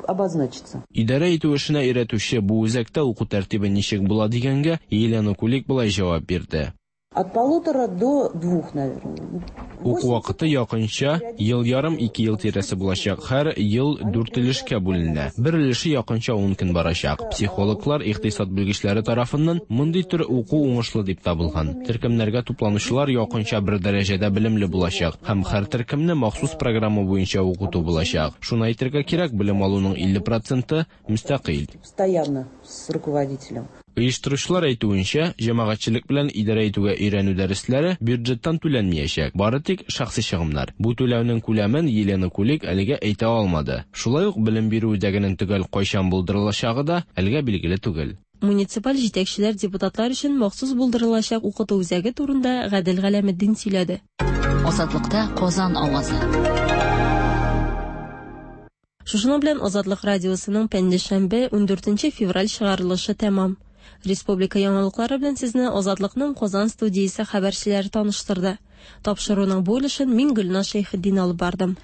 обозначится. Идарә итү эшенә өйрәтүче бу үзәктә уку тәртибе ничек була дигәнгә, Елена Кулик болай җавап бирде. От полутора до двух, наверное. Уку вакыты якынча ел ярым, ике ел тирәсе булачак. Һәр ел дүрт өлешкә бүленә. Бер өлеше якынча ун көн барачак. Психологлар, икътисад белгечләре тарафыннан мондый төр уку уңышлы дип табылган. Төркемнәргә тупланучылар якынча бер дәрәҗәдә белемле булачак һәм һәр төркемне махсус программа буенча укыту булачак. Шуны әйтергә кирәк, белем алуның 50 проценты мөстәкыйль. Постоянно с руководителем. Оештыручылар әйтүенчә, җәмәгатьчелек белән идарә итүгә өйрәнү дәресләре бюджеттан түләнмиячәк, бары тик шәхси чыгымнар. Бу түләүнең күләмен Елена Кулик әлегә әйтә алмады. Шулай ук белем бирү үзәгенең төгәл кайчан булдырылачагы да әлегә билгеле түгел. Муниципаль җитәкчеләр депутатлар өчен махсус булдырылачак укыту үзәге турында Гадел Галәметдин сөйләде. Азатлыкта Казан авазы. Шушының белән Азатлык радиосының пәнҗешәмбе, 14 февраль чыгарылышы тәмам. Республика яңалыклары белән сезне Азатлыкның Казан студиясе хәбәрчеләре таныштырды. Тапшыруның бу өлешен мин Гөлназ Шәйхетдин алып бардым.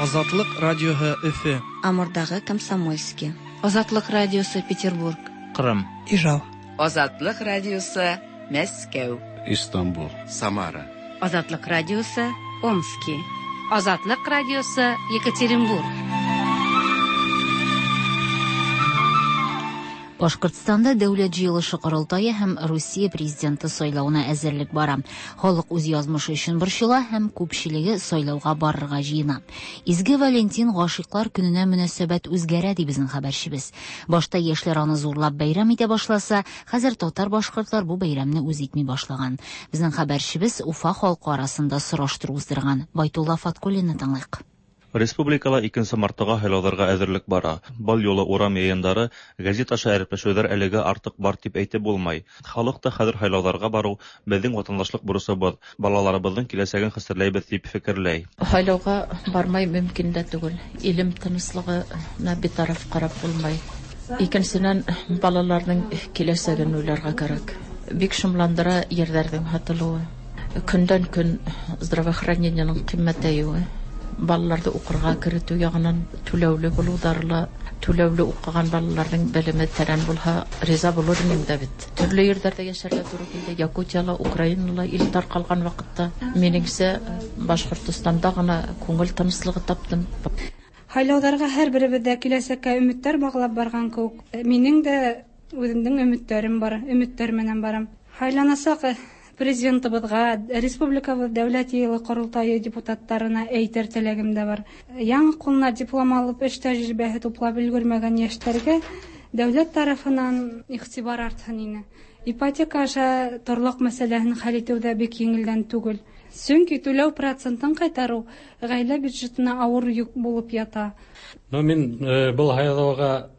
Азатлык радиоһы Өфе. Амурдагы Комсомольский. Азатлык радиосы Петербург. Кырым. Ижау. Азатлык радиосы Мәскәү. Истанбул. Самара. Азатлык радиосы Омски. Азатлык радиосы Екатеринбург. Башкортстанда Дәүләт җыелышы корылтае һәм Русия президенты сайлавына әзерлек бара. Халык үз язмышы өчен борчыла һәм күпчелеге сайлауга барырга җыена. Изге Валентин гашыйклар көненә мөнәсәбәт үзгәрә, ди безнең хәбәрчебез. Башта яшьләр аны зурлап бәйрәм итә башласа, хәзер татар-башкортлар бу бәйрәмне үз итми башлаган. Безнең хәбәрчебез Уфа халкы арасында сораштыру уздырган. Байтулла Фаткуллинны тыңлыйк. Республикала 2 мартыга һайлауларга әзерлек бара. Бал юлы урам йыйындары, гәзит аша әрепләшүләр әлегә артык бар дип әйтеп булмай. Халык та хәзер һайлауларга бару безнең ватандашлык бурысыбыз, балаларыбызның киләчәген хәстәрләйбез дип фикерләй. Һайлауга бармай мөмкин дә түгел. Илем тынычлыгына битараф карап булмай. Икенчедән, балаларның киләчәген уйларга кирәк. Бик шомландыра ерләрнең һатылуы. Көндән-көн здравоохранениенең кыйммәтәюе. Балаларны укырга керетү ягыннан түләүле булударла, түләүле укыган балаларның белеме тәрән булһа, риза булыр идем дә бит. Төрле ерләрдә яшәргә туры килде. Якутияла, Украинала ил таркалган вакытта. Минеңсә, Башкортостанда гына күңел тынычлыгы таптым. Һайлауларга һәр беребездә киләчәккә өметләр баглап барган кебек. Минең дә үземнең өметләрем бар, өметләр менән барам. Һайланасак президентыбызга, республикабыз дәүләт йыелы корылтайы депутаттарына әйтер теләгем дә бар. Яңа кулына диплом алып, эш тәҗрибәһе туплап өлгермәгән яшьләргә дәүләт тарафыннан игътибар артһын ине. Ипотека аша торлык мәсьәләһен хәл итү дә бик җиңелдән түгел. Чөнки түләү процентын кайтару гаилә бюджетына авыр йөк булып ята. Но мин был һайлауга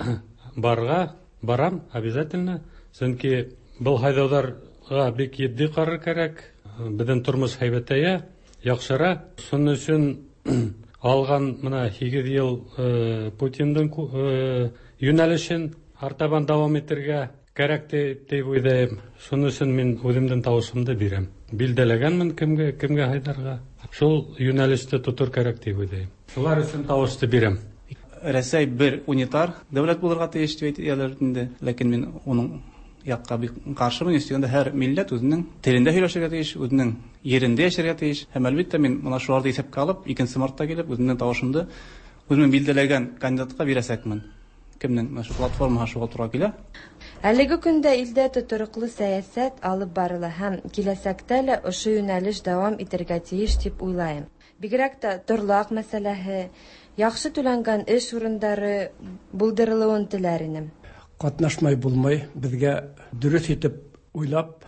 барга барам обязательно, чөнки был һайлауҙар бик етди карар кәрәк. Беҙҙең тормош һәйбәтәйә, яҡшыра. Шуның өсөн алған мына 8 йыл Путиндың йүнәлешен артабан дауам итергә. Кәрәк дип уйлыйм. Шуның өчен мин үземнең тавышымны бирәм. Билдәләгәнмен кемгә, кемгә һайларга. Шул юнәлеште тотыр кәрәк дип уйлыйм. Шулар өчен тавышты бирәм. Рәсәй бер унитар дәүләт булырга тиеш дип әйтәләр инде. Ләкин мин уның якка бик каршымын. Өстәгәндә һәр милләт үзенең телендә сөйләшергә тиеш, үзенең ерендә яшәргә тиеш. Һәм әлбәттә мин менә шуларны исәпкә алып, 2 мартта килеп, үземнең тавышымны үземнең билдәләгән кандидатка бирәчәкмен. Кемнең менә шу платформага шуга туры килә. Әлеге көндә илдә тотрыклы сәясәт алып барыла һәм киләсәктә лә ошо юнәлеш дәвам итергә тиеш дип уйлайым. Бигрәк тә торлак мәсьәләһе, яхшы түләнгән эш урындары булдырылуын теләр инем. Катнашмай булмай, безгә дөрес итеп уйлап,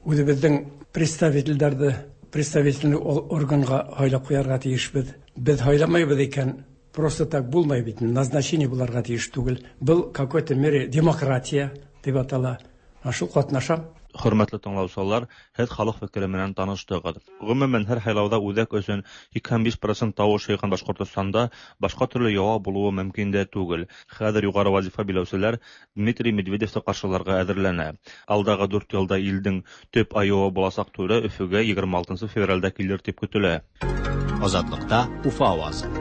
үзебезнең представительләрне представительный органга һайлап куярга тиешбез. Без һайламайбыз икән, просто так булмай бит, назначение буларга тиеш түгел. Был какой-то мере демократия дип атала. Шул катнашам. Хөрмәтле тыңлаучылар, һеҙ халыҡ фекере менән таныштығыҙ. Ғөмүмән, һәр һайлауҙа үҙәк өсөн 85% тауыш йыйған Башҡортостанда башҡа төрлө яуап булыуы мөмкин дә түгел. Хәҙер юғары вазифа биләүселәр Дмитрий Медведевты ҡаршыларға әҙерләнә. Алдағы 4 йылда илдең төп айыуы буласаҡ түрә Өфөгә 26 февралдә килер тип көтөлә. Азатлыкта Уфа авазы.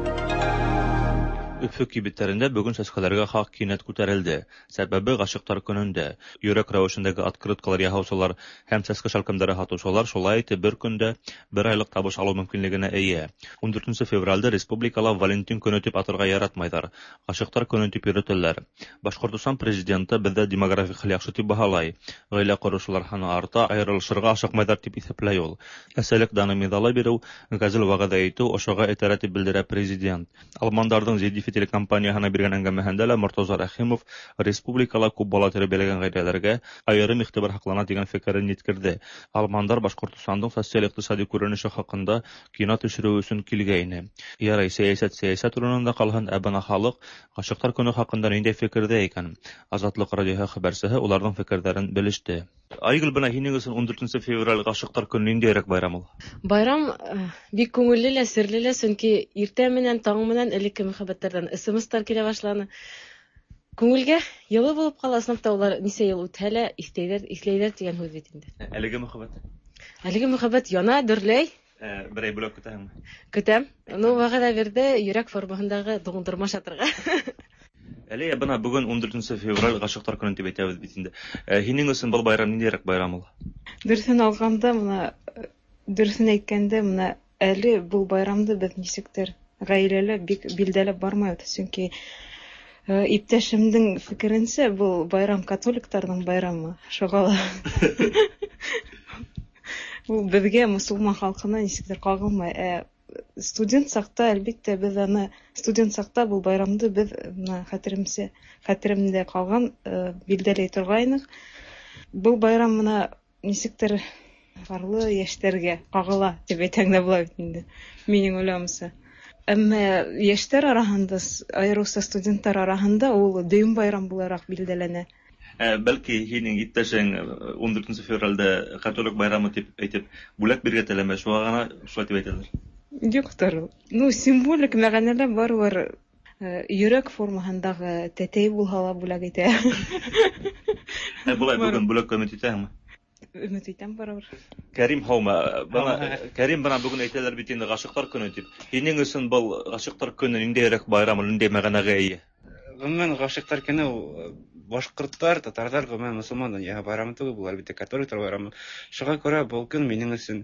Өфө кибеттәрендә бөгөн сәскәләргә хаҡ кинәт күтәрелде. Сәбәбе ғашиҡтар көнөндә. Йөрәк рәүешендәге открыткалар яһаусылар һәм сәскә шәлкемдәре һатыусылар шулай итеп бер көндә бер айлыҡ табыш алыу мөмкинлегенә эйә. 14 февралдә республикала Валентин көнө тип атарға яратмайҙар. Ғашиҡтар көнө тип йөрөтәләр. Башҡортостан президенты беҙҙә демографик хәл яҡшы тип баһалай. Ғаилә ҡороусылар һаны арта, айырылышырға ашыҡмайҙар тип иҫәпләй ул. Әсәлек даны миҙалы биреү, ғәзел вәғәҙә итеү ошоға этәрә тип белдерә президент. Алмандарҙың ZDF телекомпанияһына биргән әңгәмәһендә лә Мортаза Рәхимов республикала күп бала тәрбиәләгән ғаиләләргә айырым иғтибар һаҡлана тигән фекерен еткерҙе. Алмандар Башҡортостандың социаль-иҡтисади күренеше хаҡында кино төшөрөү өсөн килгәйне. Ярай, сәйәсәт сәйәсәт урынында ҡалһын, ә бына халыҡ ғашиҡтар көнө хаҡында ниндәй фекерҙә икән? Азатлыҡ радиоһы хәбәрсеһе уларҙың фекерҙәрен белеште. Айгөл, бына һинең өсөн 14 февраль ғашиҡтар көнө ниндәйерәк байрам ул? Байрам бик күңелле лә, серле лә, сөнки иртә менән, таң менән элекке мөхәббәттәрҙән СМС-тар килә башланы. Күңелгә йылы булып ҡала, ысынлап та улар нисә йыл үтһә лә иҫләйҙәр, иҫләйҙәр тигән һүҙ бит инде. Әлеге мөхәббәт? Әлеге мөхәббәт яна, дөрләй. Берәй бүләк көтәһеңме? Көтәм. Ну, вәғәҙә бирҙе йөрәк формаһындағы дуңдырма шатырға. Әле бына бөгөн 14 февраль ғашиҡтар көнө тип әйтәбеҙ бит инде. Һинең өсөн был байрам ниндәйерәк байрам ул? Дөрөҫөн алғанда, бына дөрөҫөн әйткәндә, бына әле был байрамды беҙ нисектер ғаиләлә бик билдәләп бармайбыҙ, сөнки иптәшемдең фекеренсә, был байрам католиктарҙың байрамы, шуға ла ул беҙгә, мосолман халҡына нисектер ҡағылмай. Ә студент саҡта, әлбиттә, беҙ аны студент саҡта был байрамды беҙ бына хәтеремдә ҡалған билдәләй торғайныҡ. Был байрам бына нисектер парлы йәштәргә ҡағыла тип әйтһәң дә була бит инде, минең уйлауымса. Әммә йәштәр араһында, айырыуса студенттар араһында ул дөйөм байрам булараҡ билдәләнә. Бәлки һинең иптәшең 14 февралдә католик байрамы тип әйтеп бүләк бирергә теләмәй, шуға ғына шулай тип әйтәләр. Юҡтыр. Ну, символик мәғәнәлә барыбер йөрәк формаһындағы тәтәй булһа ла бүләк итә. Былай бөгөн бүләк өмөт итәһеңме? Өмөт итәм барыбер. Кәрим, һаумы? Бына Кәрим, бына бөгөн әйтәләр бит инде ғашиҡтар көнө тип. Һинең өсөн был ғашиҡтар көнө ниндәйерәк байрам, ниндәй мәғәнәгә эйә? Ғөмүмән, ғашиҡтар көнө ул башҡорттар, татарҙар, ғөмүмән мосолман донъяһы байрамы түгел, был әлбиттә католиктар байрамы. Шуға күрә был көн минең өсөн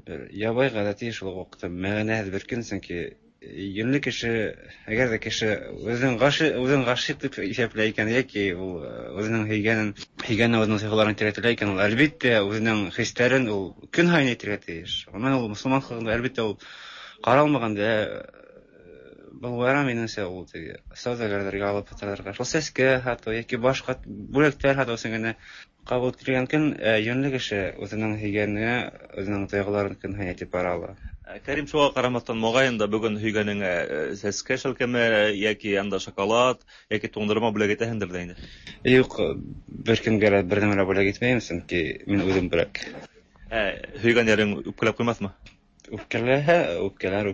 бер ябай ғәҙәти, шул уҡ ваҡытта мәғәнәһеҙ бер көн, сөнки йүнле кеше, әгәр ҙә кеше үҙен ғашиҡ тип иҫәпләй икән, йәки ул үҙенең һөйгәнен үҙенең тойғоларын әйтергә теләй икән, ул әлбиттә үҙенең хистәрен ул көн һайын әйтергә тейеш. Ғөмүмән, ул мосолман халҡында әлбиттә ул ҡаралмаған да. Был байрам минеңсә ул теге сауҙагәрҙәргә алып һаталарға, шул сәскә һатыу йәки башҡа бүләктәр һатыу өсөн генә ҡабул ителгән көн. Йүнле кеше үҙенең һөйгәненә үҙенең тойғоларын көн һайын әйтеп бара ала. Кәрим, шуға ҡарамаҫтан, моғайын да бөгөн һөйгәнеңә сәскә шәлкеме йәки анда шоколад йәки туңдырма бүләк итәһеңдер ҙә инде? Юҡ, бер кемгә лә бер нәмә лә бүләк итмәйем, сөнки мин үҙем бүләк. Һөйгән йәрең үпкәләп ҡуймаҫмы? Үпкәләһә, үпкәләр,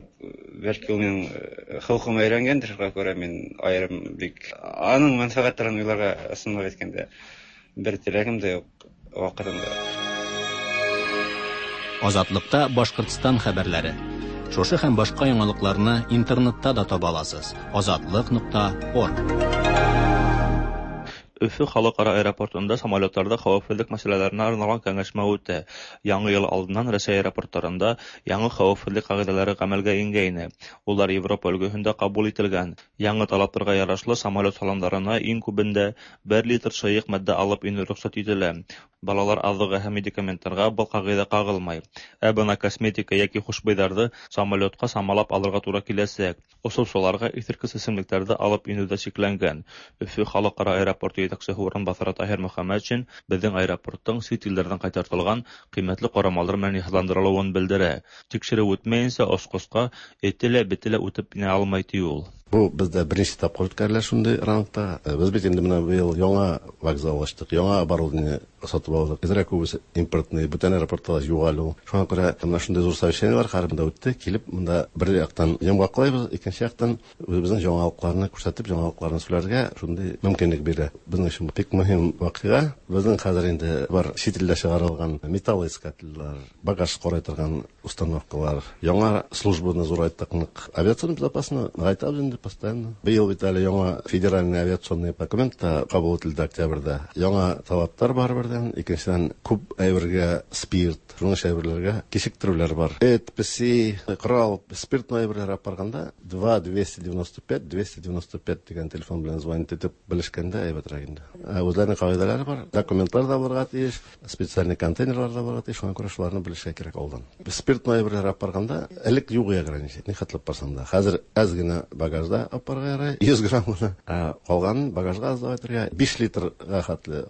бәлки ул минең холҡома өйрәнгәндер, шуға күрә мин айырым бик аның мәнфәғәттәрен уйларға ысынлап әйткәндә Бер теләгем дә юк вакытында. Азатлыкта Башкортстан хәбәрләре. Шушы һәм башка яңалыкларны интернетта да таба аласыз: azatliq.org. Өфе халыкара аэропортында самолетларда хәвефсезлек мәсьәләләренә арналган кәңәшмә үтә. Яңа ел алдыннан Рәсәй аэропортларында яңа хәвефсезлек кагыйдәләре гамәлгә ингәйне. Улар Европа өлгеһендә кабул ителгән. Яңа талапларга ярашлы, самолет салоннарына иң күбендә бер литр сыек матдә алып инү рөхсәт ителә. Балалар азыгы һәм медикаментларга был кагыйдә кагылмай. Ә бына косметика яки хушбуйҙарҙы самолетҡа самалап алырға тура киләсәк. Осоусыларға иҫерткес эсемлектәрҙе алып инеү ҙә сикләнгән. Өфө халыҡ-ара аэропорты етәксеһе урынбаҫары Таһир Мөхәммәтшин беҙҙең аэропорттың сит илдәрҙән ҡайтартылған ҡиммәтле ҡорамалдар менән йыһазландырылыуын белдерә. Тикшереү үтмәйенсә осҡосҡа эте лә, бете лә үтеп инә алмай, ти ул. Бу бездә беренче тапкыр үткәрелә шундый рангта. Без бит инде менә быел яңа вокзал ачтык, яңа оборудование сатып алдык. Әзрәк күбесе импортный, бүтән аэропортта юк әле ул. Шуңа күрә менә шундый зур совещаниеләр һәрберендә үтте. Килеп монда бер яктан йомгаклайбыз, икенче яктан үзебезнең яңалыкларны күрсәтеп, яңалыкларны сөйләргә шундый мөмкинлек бирә. Безнең өчен бик мөһим вакыйга. Безнең хәзер инде бар чит илдә чыгарылган металлоискательләр, багаж карый торган установкалар, яңа службаны зурайттык нык. Авиационный безопасность ныгайтабыз инде постоянно. Быел бит әле яңа федеральный авиационный документ та кабул ителде октябрьдә. Яңа талаплар бар бердән, икенчедән күп әйбергә спирт, шуның ише әйберләргә кичектерүләр бар. Эт, песи, корал, спиртной әйберләр алып барганда 2 295 295 дигән телефон белән звонить итеп белешкәндә әйбәтрәк инде. Үзләренең кагыйдәләре бар, документлар да булырга тиеш, специальный контейнерлар да булырга тиеш, шуңа күрә шуларны белешергә кирәк алдан. Спиртной әйберләр алып барганда элек юк ограничение, нихәтле алып барсаң да. Хәзер әз генә багажда алып барырга ярый, 100 грамм гына. Ә калганын багажга аз давать итәргә, 5 литрга хәтле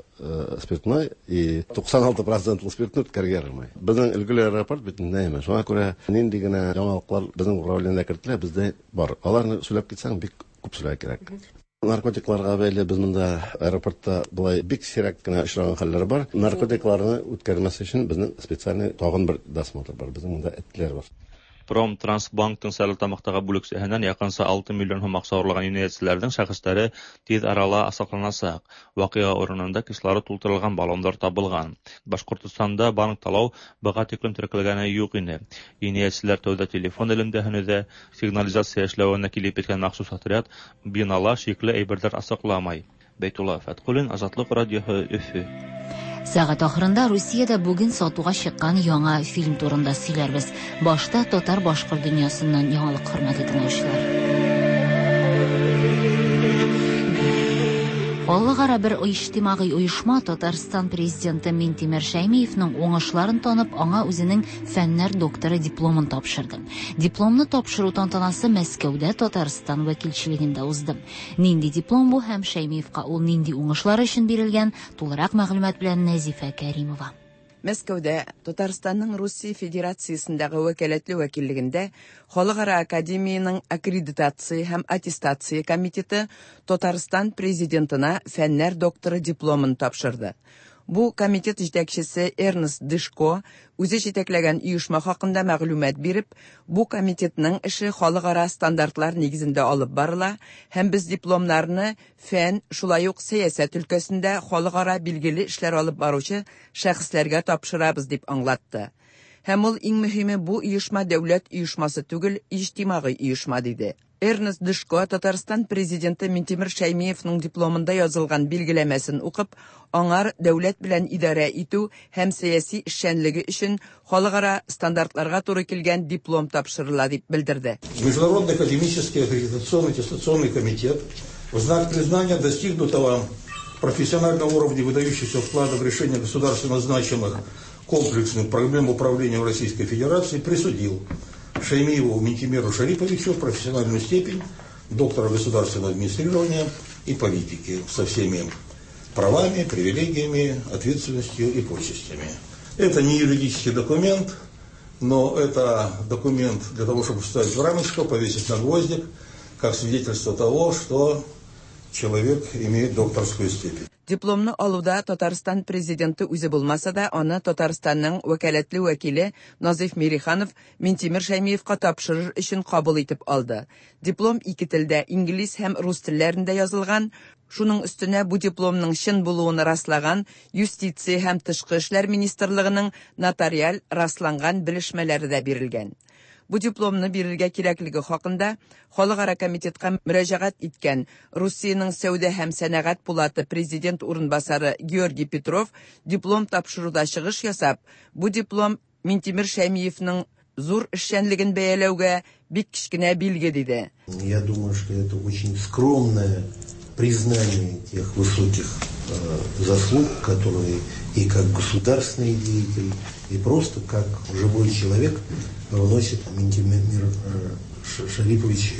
спиртной и 96 процентлы спиртны үткәрергә ярамый. Безнең өлгеле аэропорт бит инде, шуңа күрә нинди генә яңалыклар безнең управлениедә кертелә, бездә бар. Аларны сөйләп китсәң, бик күп сөйләргә кирәк. Наркотикларга бәйле без монда аэропортта болай бик сирәк кенә очраган хәлләр бар. Наркотикларны үткәрмәс өчен безнең специальный тагын бер досмотр бар. Безнең монда этләр бар. Промтрансбанктың Стәрлетамаҡтағы бүлексәһенән яҡынса 6 миллион һум аҡса урлаған енәйәтселәрҙең шәхестәре тиҙ арала асыҡланасаҡ. Ваҡиға урынында кислород тултырылған баллондар табылған. Башҡортостанда банк талау быға тиклем теркәлгәне юҡ ине. Енәйәтселәр тәүҙә телефон элемтәһен өҙә, сигнализация эшләүенә килеп еткән махсус отряд бинала шикле әйберҙәр асыҡламай. Бәйтулла Фәтҡуллин, Азатлыҡ радиоһы, Өфө. Сәгать ахырында Русиядә бүген сатуга чыккан яңа фильм турында сөйләрбез. Башта татар-башкорт дөньясыннан яңалык, хөрмәтле тыңлаучылар. Халыкара бер иҗтимагый оешма Татарстан президенты Минтимер Шәймиевның уңышларын танып, аңа үзенең фәннәр докторы дипломын тапшырды. Дипломны тапшыру тантанасы Мәскәүдә Татарстан вәкилчелегендә узды. Нинди диплом бу һәм Шәймиевка ул нинди уңышлар өчен бирелгән, тулырак мәгълүмат белән Нәзифә Кәримова. Мәскәүдә Татарстанның Русия Федерациясендәге вәкаләтле вәкиллегендә Халыкара академиянең аккредитация һәм аттестация комитеты Татарстан президентына фәннәр докторы дипломын тапшырды. Бу комитет җитәкчесе Эрнест Дышко үзе җитәкләгән оешма хакында мәгълүмат биреп, бу комитетның эше халыкара стандартлар нигезендә алып барыла һәм без дипломнарны фән, шулай ук сәясәт өлкәсендә халыкара билгеле эшләр алып баручы шәхесләргә тапшырабыз дип аңлатты. Һәм ул иң мөһиме бу оешма дәүләт оешмасы түгел, иҗтимагый оешма диде. Эрнест Дышко Татарстан президенты Минтимер Шәймиевның дипломында язылган билгеләмәсен укып, аңар дәүләт белән идарә итү һәм сәяси эшчәнлеге өчен халыкара стандартларга туры килгән диплом тапшырыла дип белдерде. Международный академический аккредитационный аттестационный комитет в знак признания достигнутого профессионального уровня выдающихся вклада в решение государственно значимых комплексных проблем управления в Российской Федерации присудил Шаймиеву Минтимеру Шариповичу профессиональную степень доктора государственного администрирования и политики со всеми правами, привилегиями, ответственностью и почестями. Это не юридический документ, но это документ для того, чтобы вставить в рамочку, повесить на гвоздик, как свидетельство того, что человек имеет докторскую степень. Дипломны алуда Татарстан президенты үзе булмаса да, аны Татарстанның вәкаләтле вәкиле Назиф Мириханов Минтимер Шәймиевка тапшырыр өчен кабул итеп алды. Диплом ике телдә, инглиз һәм рус телләрендә язылган. Шуның өстенә бу дипломның чын булуын раслаган Юстиция һәм тышкы эшләр министрлыгының нотариаль расланган белешмәләре дә бирелгән. Бу дипломны бирергә кирәклеге хакында Халыкара комитетка мөрәҗәгать иткән Русиянең Сәүдә һәм сәнәгать пулаты президент урынбасары Георгий Петров диплом тапшыруда чыгыш ясап, бу диплом Минтимер Шәймиевның зур эшчәнлеген бәяләүгә бик кечкенә билге диде. Я думаю, что это очень скромное признание тех высоких заслуг, которые и как государственный деятель, и просто как живой человек вносит Минтимер Шарипович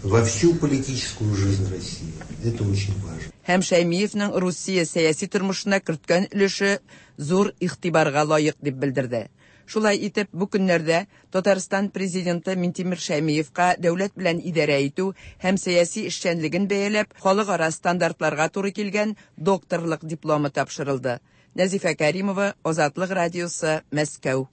во всю политическую жизнь России. Это очень важно. Һәм Шәймиевның Русия сәяси тормышына керткән өлеше зур игътибарга лаек дип белдерде. Шулай итеп, бу көннәрдә Татарстан Президенты Минтимер Шәймиевка дәүләт белән идарә итү һәм сәяси эшчәнлеген бәяләп, халыкара стандартларга туры килгән докторлык дипломы тапшырылды. Нәзифә Кәримова, Азатлык радиосы, Мәскәү.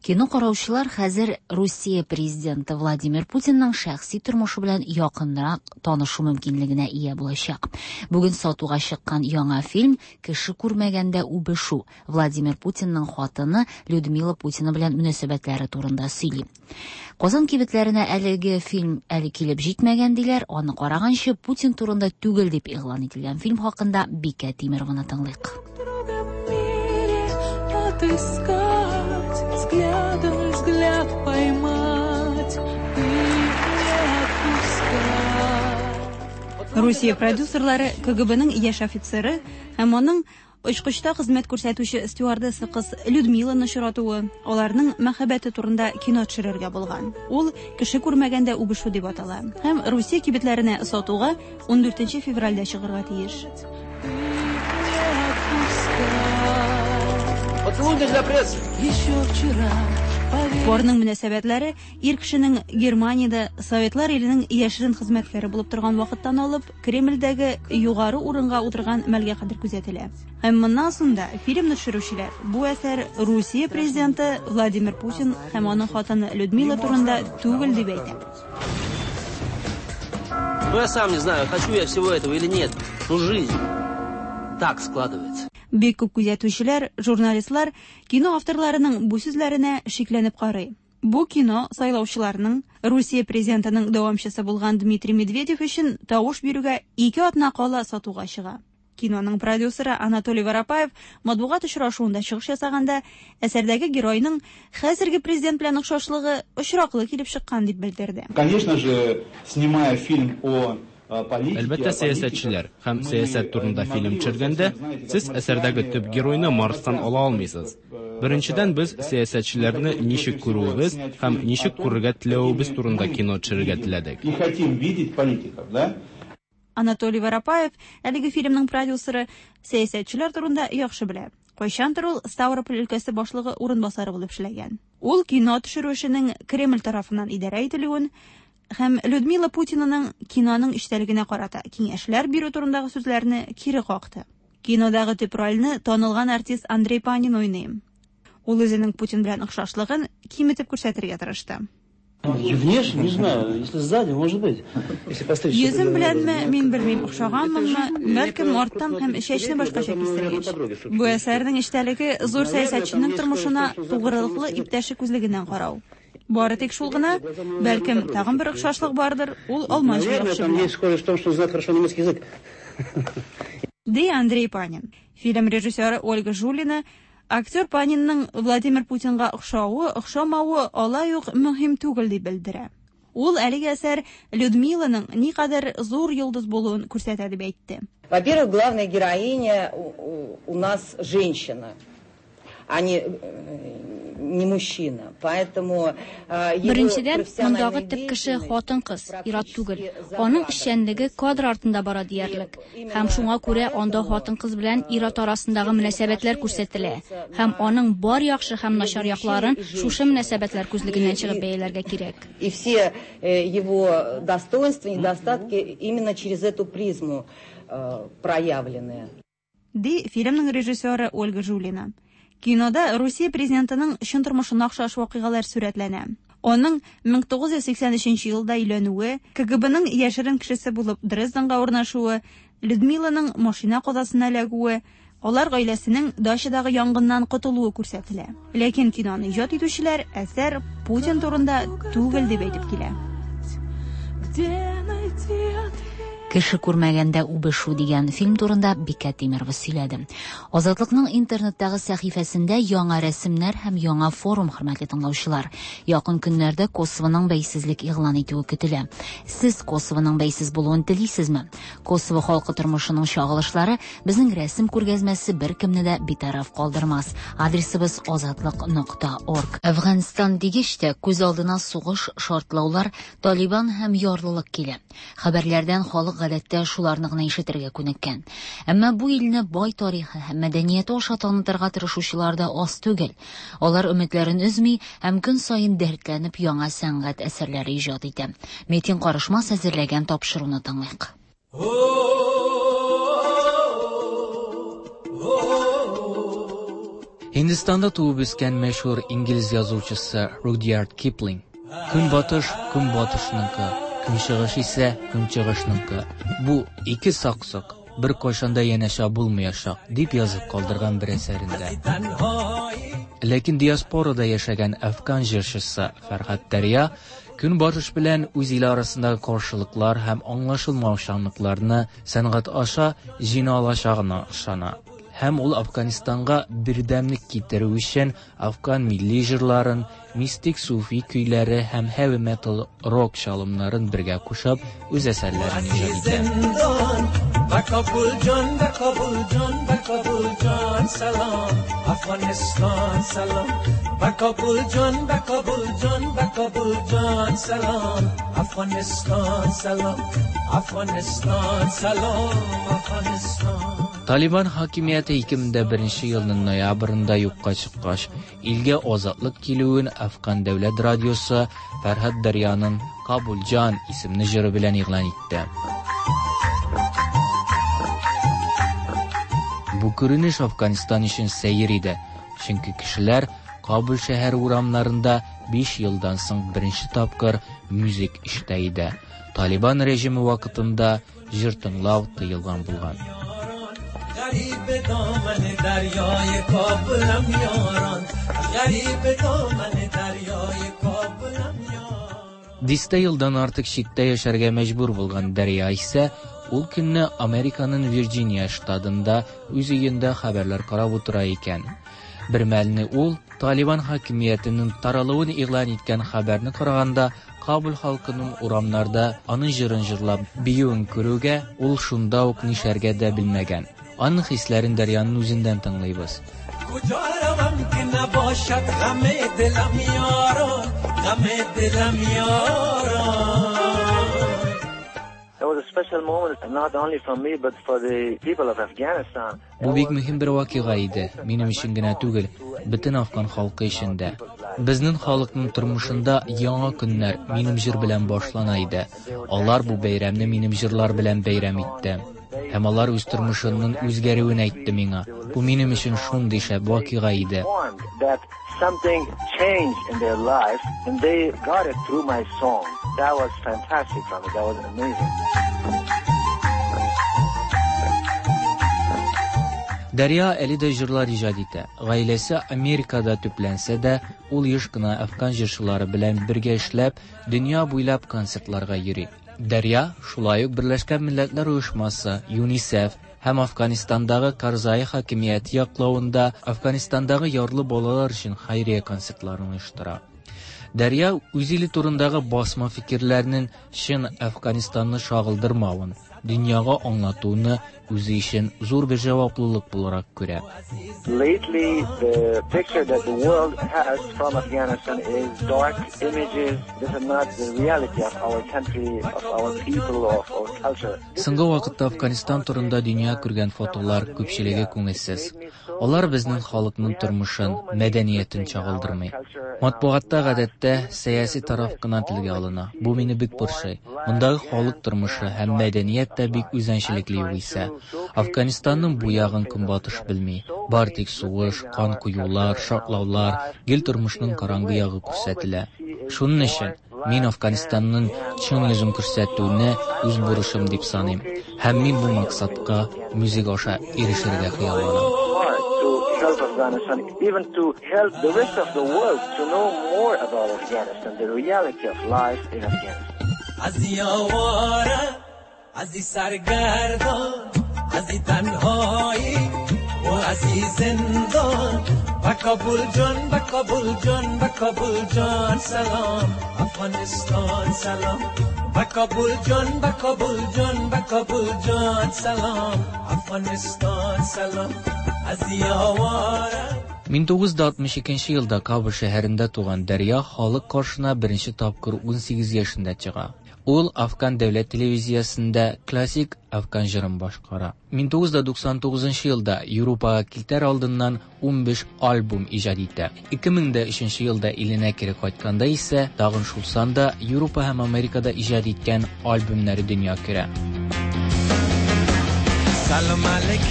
Кино караучылар хәзер Русия президенты Владимир Путинның шәхси тормышы белән якынрак танышу мөмкинлегенә ия булачак. Бүген сатуга чыккан яңа фильм Кеше күрмәгәндә үбешү Владимир Путинның хатыны Людмила Путина белән мөнәсәбәтләре турында сөйли. Казан кибетләренә әлеге фильм әле килеп җитмәгән диләр, аны караганчы Путин турында түгел дип игълан ителгән фильм хакында Бикә Тимерованы тыңлыйк. Отыскать, взглядом взгляд поймать и не отпускать. Русия продюсерлары КГБның яшь офицеры һәм аның очкычта хезмәт күрсәтүче стюардесса кыз Людмиланы очратуы, аларның мәхәббәте турында кино төшерергә булган. Ул Кеше күрмәгәндә үбешү дип атала һәм Русия кибетләренә сатуга 14 февральдә чыгарга тиеш. Поцелуй для прессы. Еще вчера Парның мөнәсәбәтләре ир кешенең Германиядә Советлар иленең яшерен хезмәткәре булып торган вакыттан алып Кремльдәге югары урынга утырган мәлгә кадәр күзәтелә. Һәм моннан соң да фильмны төшерүчеләр бу әсәр Русия президенты Владимир Путин һәм аның хатыны Людмила турында түгел дип әйтә. Ну, я сам не знаю, хочу я всего этого или нет, но жизнь так складывается. Бик күп күзәтүчеләр, журналистлар кино авторларының бу сүзләренә шикләнеп карый. Бу кино сайлаучыларның Русия президентының дәвамчысы булган Дмитрий Медведев өчен тавыш бирүгә ике атна кала сатуга чыга. Киноның продюсеры Анатолий Воропаев матбугат очрашуында чыгыш ясаганда әсәрдәге геройның хәзерге президент белән охшашлыгы очраклы килеп чыккан дип белдерде. Конечно же, снимая фильм о Әлбәттә, сәясәтчеләр һәм сәясәт турында фильм төшергәндә, сез әсәрдәге төп геройны Марстан ала алмыйсыз. Беренчедән, без сәясәтчеләрне ничек күрүебез һәм ничек күрергә теләвебез турында кино төшерергә теләдек. И хотим видеть политиков, да? Анатолий Воропаев, әлеге фильмның продюсеры, сәясәтчеләр турында яхшы белә. Кайчандыр ул Ставрополь өлкәсе башлыгы урынбасары булып эшләгән. Ул кино төшерү эшенең Кремль тарафыннан идарә ителүен һәм Людмила Путинаның киноның эчтәлегенә карата киңәшләр бирү турындагы сүзләрне кире какты. Кинодагы төп рольне танылган артист Андрей Панин уйный. Ул үзенең Путин белән охшашлыгын киметеп күрсәтергә тырышты. Внешне, не знаю, если сзади, может быть. Если постричь. Йөзем беләнме, мин белмим, охшаганмынмы, бәлкем арттан һәм чәчне башкача кистергәч. Бу әсәрнең эчтәлеге зур сәясәтченең тормышына тугрылыклы иптәше күзлегеннән карау. Бары тик шул гына, бәлкем тагын бер охшашлык бардыр, ул алманча Наверное, яхшы там белә. есть схожесть в том, что знает хорошо немецкий язык. Ди Андрей Панин. Фильм режиссеры Ольга Жулина актер Панинның Владимир Путинга охшавы, охшамавы алай ук мөһим түгел дип белдерә. Ул әлеге әсәр Людмиланың никадәр зур йолдыз булуын күрсәтә дип әйтте. Во-первых, главная героиня у нас женщина, а не мужчина. Поэтому его Беренчедән, профессиональная мондагы төп кеше деятельность хатын-кыз, ир-ат түгел. Аның эшчәнлеге кадр артында бара диярлек. Һәм шуңа күрә анда хатын-кыз белән ир-ат арасындагы мөнәсәбәтләр күрсәтелә. Һәм аның бар яхшы һәм начар якларын шушы мөнәсәбәтләр күзлегеннән чыгып бәяләргә кирәк. И все его достоинства, недостатки именно через эту призму проявлены. Ди фильмның режиссеры Ольга Жулина. Кинода Русия президентының чын тормышына охшаш вакыйгалар сурәтләнә. Аның 1983 елда өйләнүе, КГБның яшерен кешесе булып Дрезденга урнашуы, Людмиланың машина казасына эләгүе, алар гаиләсенең дачадагы янгыннан котылуы күрсәтелә. Ләкин киноны иҗат итүчеләр әсәр Путин турында түгел дип әйтеп килә. Где найти ответ? Кеше күрмәгәндә үбешү дигән фильм турында Бикә Тимерова сөйләде. Азатлыкның интернеттагы сәхифәсендә яңа рәсемнәр һәм яңа форум, хөрмәтле тыңлаучылар. Якын көннәрдә Косовоның бәйсезлек игълан итүе көтелә. Сез Косовоның бәйсез булуын телисезме? Косово халкы тормышының чагылышлары безнең рәсем күргәзмәсе беркемне дә битараф калдырмас. Адресыбыз азатлык нокта орг. Әфганстан дигәч тә күз алдына сугыш, шартлаулар, Талибан һәм ярлылык килә. Хәбәрләрдән халык гадәттә шуларны гына ишетергә күнеккән. Әмма бу илне бай тарихы һәм мәдәнияте аша танытырга тырышучылар да аз түгел. Алар өметләрен өзми һәм көн саен дәртләнеп яңа сәнгать әсәрләре иҗат итә. Метин Карышмас әзерләгән тапшыруны тыңлыйк. Һиндстанда туып үскән мәшһүр инглиз язучысы Рудьярд Киплинг Көнбатыш көнбатышныкы, көнчыгыш исә көнчыгышныкы. Бу ике саксык беркайчан да янәшә булмаячак, дип язып калдырган бер әсәрендә. Ләкин диаспорада яшәгән әфган җырчысы Фәрһад Дәрья Көнбатыш белән үз иле арасындагы каршылыклар һәм аңлашылмаучанлыкларны сәнгать аша җиңә алачагына ышана. Һәм ул Афганистанга бердәмлек китерү өчен афган милли җырларын, мистик суфи көйләре һәм heavy metal рок чалымнарын бергә кушып, үз әсәрләрен иҗат итә. Талибан хакимияте 2001 елның ноябрендә юкка чыккач, илгә азатлык килүен Афган дәүләт радиосы Фәрһад Дәрьяның Кабулҗан исемле җыры белән игълан итте. Бу күренеш Афганистан өчен сәер иде, чөнки кешеләр Кабул шәһәре урамнарында 5 елдан соң беренче тапкыр музык ишетә иде. Талибан режимы вакытында җыр тыңлау тыелган булган. Дистә елдан артык читтә яшәргә мәҗбүр булган Дәрья исә ул көнне Американың Вирджиния штатында үз өендә хәбәрләр карап утыра икән. Бер мәлне ул Талибан хакимиятенең таралуын игълан иткән хәбәрне караганда Кабул халкының урамнарда аның җырын җырлап биюен күрүгә, ул шунда ук нишләргә дә белмәгән. Аның хисләрен Дәрьяның үзеннән тыңлыйбыз. Бу бик мөһим бер вакыйга иде, минем өчен генә түгел, бөтен афган халкы өчен дә. Безнең халыкның тормышында яңа көннәр минем җыр белән башлана иде. Алар бу бәйрәмне минем җырлар белән бәйрәм итте. Һәм алар үз тормышының үзгәрүен әйтте миңа. Бу минем өчен шундый шәп вакыйга иде. Something changed in their life and they got it through my song. That was fantastic for me. That was amazing. Дәрья әле дә җырлар иҗат итә. Гаиләсе Америкада төпләнсә дә, ул еш кына афган җырчылары белән бергә эшләп, дөнья буйлап концертларга йөри. Дәрья шулай ук Берләшкән Милләтләр Оешмасы, ЮНИСЕФ һәм Афганистандагы Карзаи хакимияте яклавында Афганистандагы ярлы балалар өчен хәйрия концертларын оештыра. Дәрья үз иле турындагы басма фикерләрнең чын Әфганстанны чагылдырмавын, дөньяга аңлатуны үзе өчен зур бер җаваплылык буларак күрә. Lately, the picture that the world has from Afghanistan is dark images. This is not the reality of our country, of our people, of our culture. Соңгы вакытта Афганистан турында дөнья күргән фотолар күпчелеге күңелсез. Алар безнең халыкның тормышын, мәдәниятен чагылдырмый. Матбугатта гадәттә сәяси тараф кына телгә алына. Бу мине бик борчый. Мондагы халык тормышы һәм мәдәният тә бик үзенчәлекле югыйсә. Афганистанның бу ягын Көнбатыш белми. Бар тик сугыш, кан коюлар, шартлаулар, гел тормышның караңгы ягы күрсәтелә. Шуның өчен Мин Афганистанның чын йөзен күрсәтүне үз бурычым дип саныйм. Һәм мин бу максатка музыка аша ирешергә хыялланам. To help Afghanistan, even to help the rest of the world to know more about Afghanistan, the reality of life in Afghanistan. از آواره از سرگردان از تنهایی و از زندان به کابل جان به کابل جان به کابل جان سلام افغانستان سلام به کابل جان به کابل جان به کابل جان سلام افغانستان سلام از آواره 1962 елда Кабул шәһәрендә туган Дәрья халык каршына беренче тапкыр 18 яшендә чыга. Ул Афган дәүләт телевизиясендә классик афган җырын башкара. 1999 елда Европага китәр алдыннан 15 альбом иҗат итә. 2003 елда иленә кире кайтканда исә тагын шул санда Европа һәм Америкада иҗат иткән альбомнары дөнья күрә. سلام علیک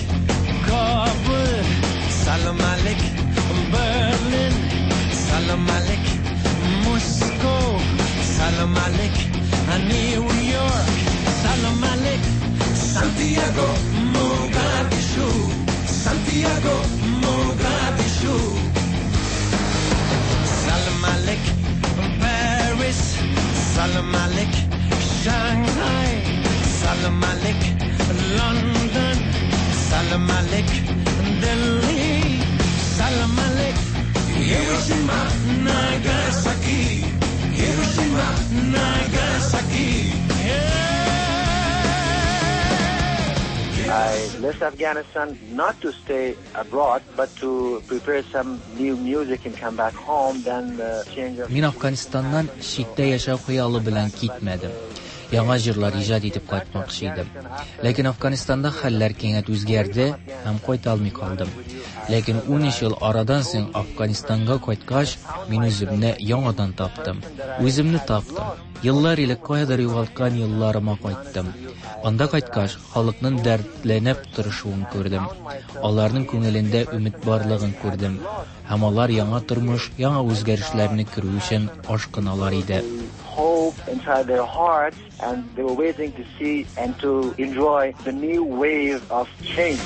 کابل سلام علیک برلین سلام علیک مسکو سلام علیک نیویورک سلام علیک سانتیاگو موگادیشو سانتیاگو موگادیشو سلام علیک پاریس سلام علیک شانگهای سلام علیک لندن سلام علیک دلی سلام علیک هیروشیما ناگاساکی هیروشیما ناگاساکی I left Afghanistan not to stay abroad, but to prepare some new music and come back home. Then the change of Мин Афганистаннан читтә яшәү хыялы белән китмәдем. Яңа җырлар иҗат итеп кайтмакчы идем. Ләкин Афганистанда хәлләр кинәт үзгәрде һәм кайта алмый калдым. Ләкин 13 ел арадан соң Афганистанга кайткач, мин үземне яңадан таптым. Үземне таптым. Еллар элек каядыр югалткан елларыма кайттым. Анда кайткач, халыкның дәртләнеп торышуын күрдем. Аларның күңелендә өмет барлыгын күрдем. Һәм алар яңа тормыш, яңа үзгәрешләрне күрү өчен ашкыналар иде. hope inside their hearts, and they were waiting to see and to enjoy the new wave of change.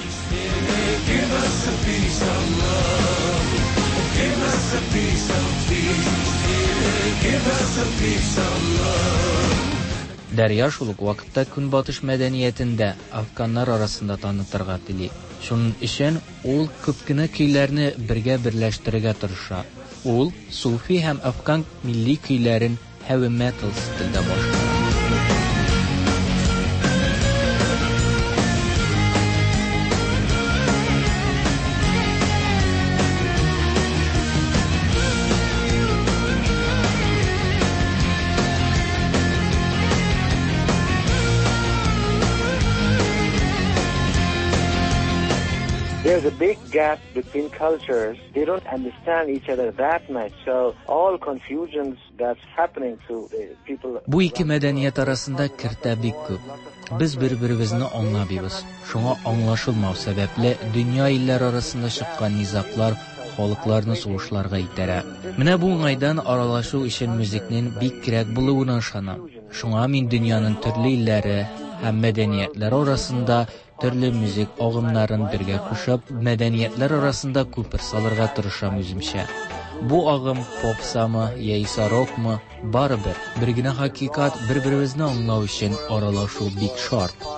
Give us a piece of love. Give us a piece of peace. Give us a piece of love. Дәрья шул ук вакытта Көнбатыш мәдәниятен дә афганнар арасында танытырга тели. Шуның өчен ул күп кенә көйләрне бергә берләштерергә тырыша. Ул суфи һәм афган милли көйләрен heavy metal стильдә башкара. There's a big gap between cultures. They don't understand each other that much. So all confusions that's happening to the people. Бу ике мәдәният арасында киртә бик күп. Без бер-беребезне аңламыйбыз. Шуңа аңлашылмау сәбәпле дөнья илләре арасында чыккан низаглар халыкларны сугышларга этәрә. Менә бу уңайдан аралашу өчен музыкның бик кирәк булуына ышанам. Шуңа мин дөньяның төрле илләре һәм мәдәниятләре арасында төрле музык агымнарын бергә кушып, мәдәниятләр арасында күпер салырга тырышам үземчә. Бу агым попсамы яисә рокмы, барыбер бер генә хакыйкать бер-беребезне аңлау өчен аралашу бик шарт.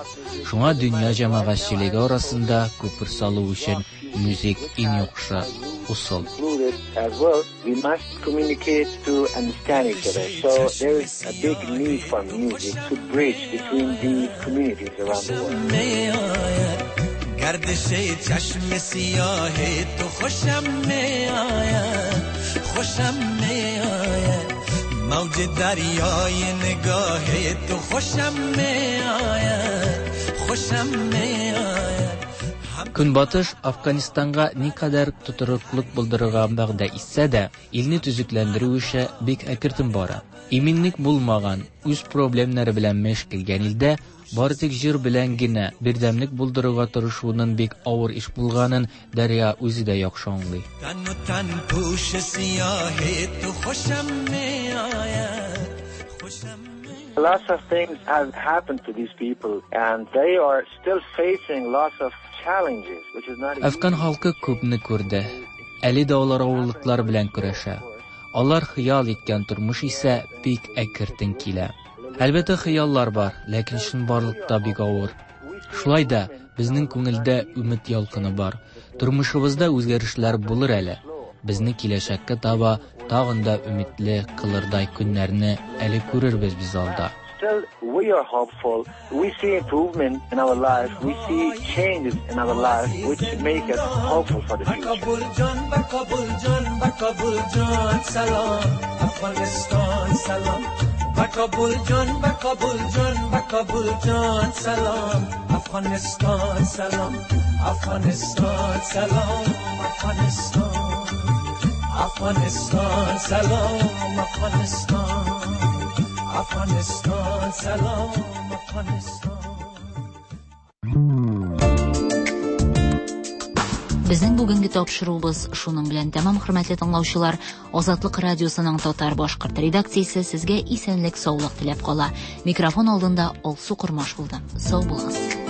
Шуңа дөнья җәмәгатьчелеге арасында күпер салу өчен музык иң яхшы ысул. Included as well, we must communicate to understand each other. So there is a big need for music to bridge between these communities around the world. می آید گردش چشم سیاه تو خوشم می آید خوشم می آید موج دریای نگاه تو خوشم می آید خوشم می آید Көнбатыш Афганистанга никадәр тотрыклык булдырырга вәгъдә итсә дә, илне төзекләндерү эше бик әкертен бара. Иминлек булмаган, үз проблемнары белән мәш килгән илдә бары тик җыр белән генә бердәмлек булдырырга тырышуның бик авыр эш булганын Дәрья үзе дә яхшы аңлый. تن و تن پوش سیاه تو خوشم می آید Lots of things have happened to these people and they are still facing lots of challenges, which is not Әфган халкы күпне күрде. Әле дә алар авырлыклар белән көрәшә. Алар хыял иткән тормыш исә бик әкертен килә. Әлбәттә, хыяллар бар, ләкин чынбарлыкта бик авыр. Шулай да безнең күңелдә өмет ялкыны бар. Тормышыбызда үзгәрешләр булыр әле. Безне киләчәккә таба тагын да өметле кылырдай көннәрне әле күрербез без алда. Still, we are hopeful. We see improvement in our life. We see changes in our life, which make us hopeful for the future. کابل جان بر کابل جان بر کابل جان سلام افغانستان سلام بر کابل جان بر کابل جان بر کابل جان سلام افغانستان سلام افغانستان سلام افغانستان افغانستان سلام افغانستان افغانستان سلام افغانستان Безнең бүгенге тапшыруыбыз шуның белән тәмам, хөрмәтле тыңлаучылар. Азатлык радиосының татар башкорт редакциясе сезгә исәнлек, саулык теләп кала. Микрофон алдында Алсу Кормаш булды. Сау булыгыз.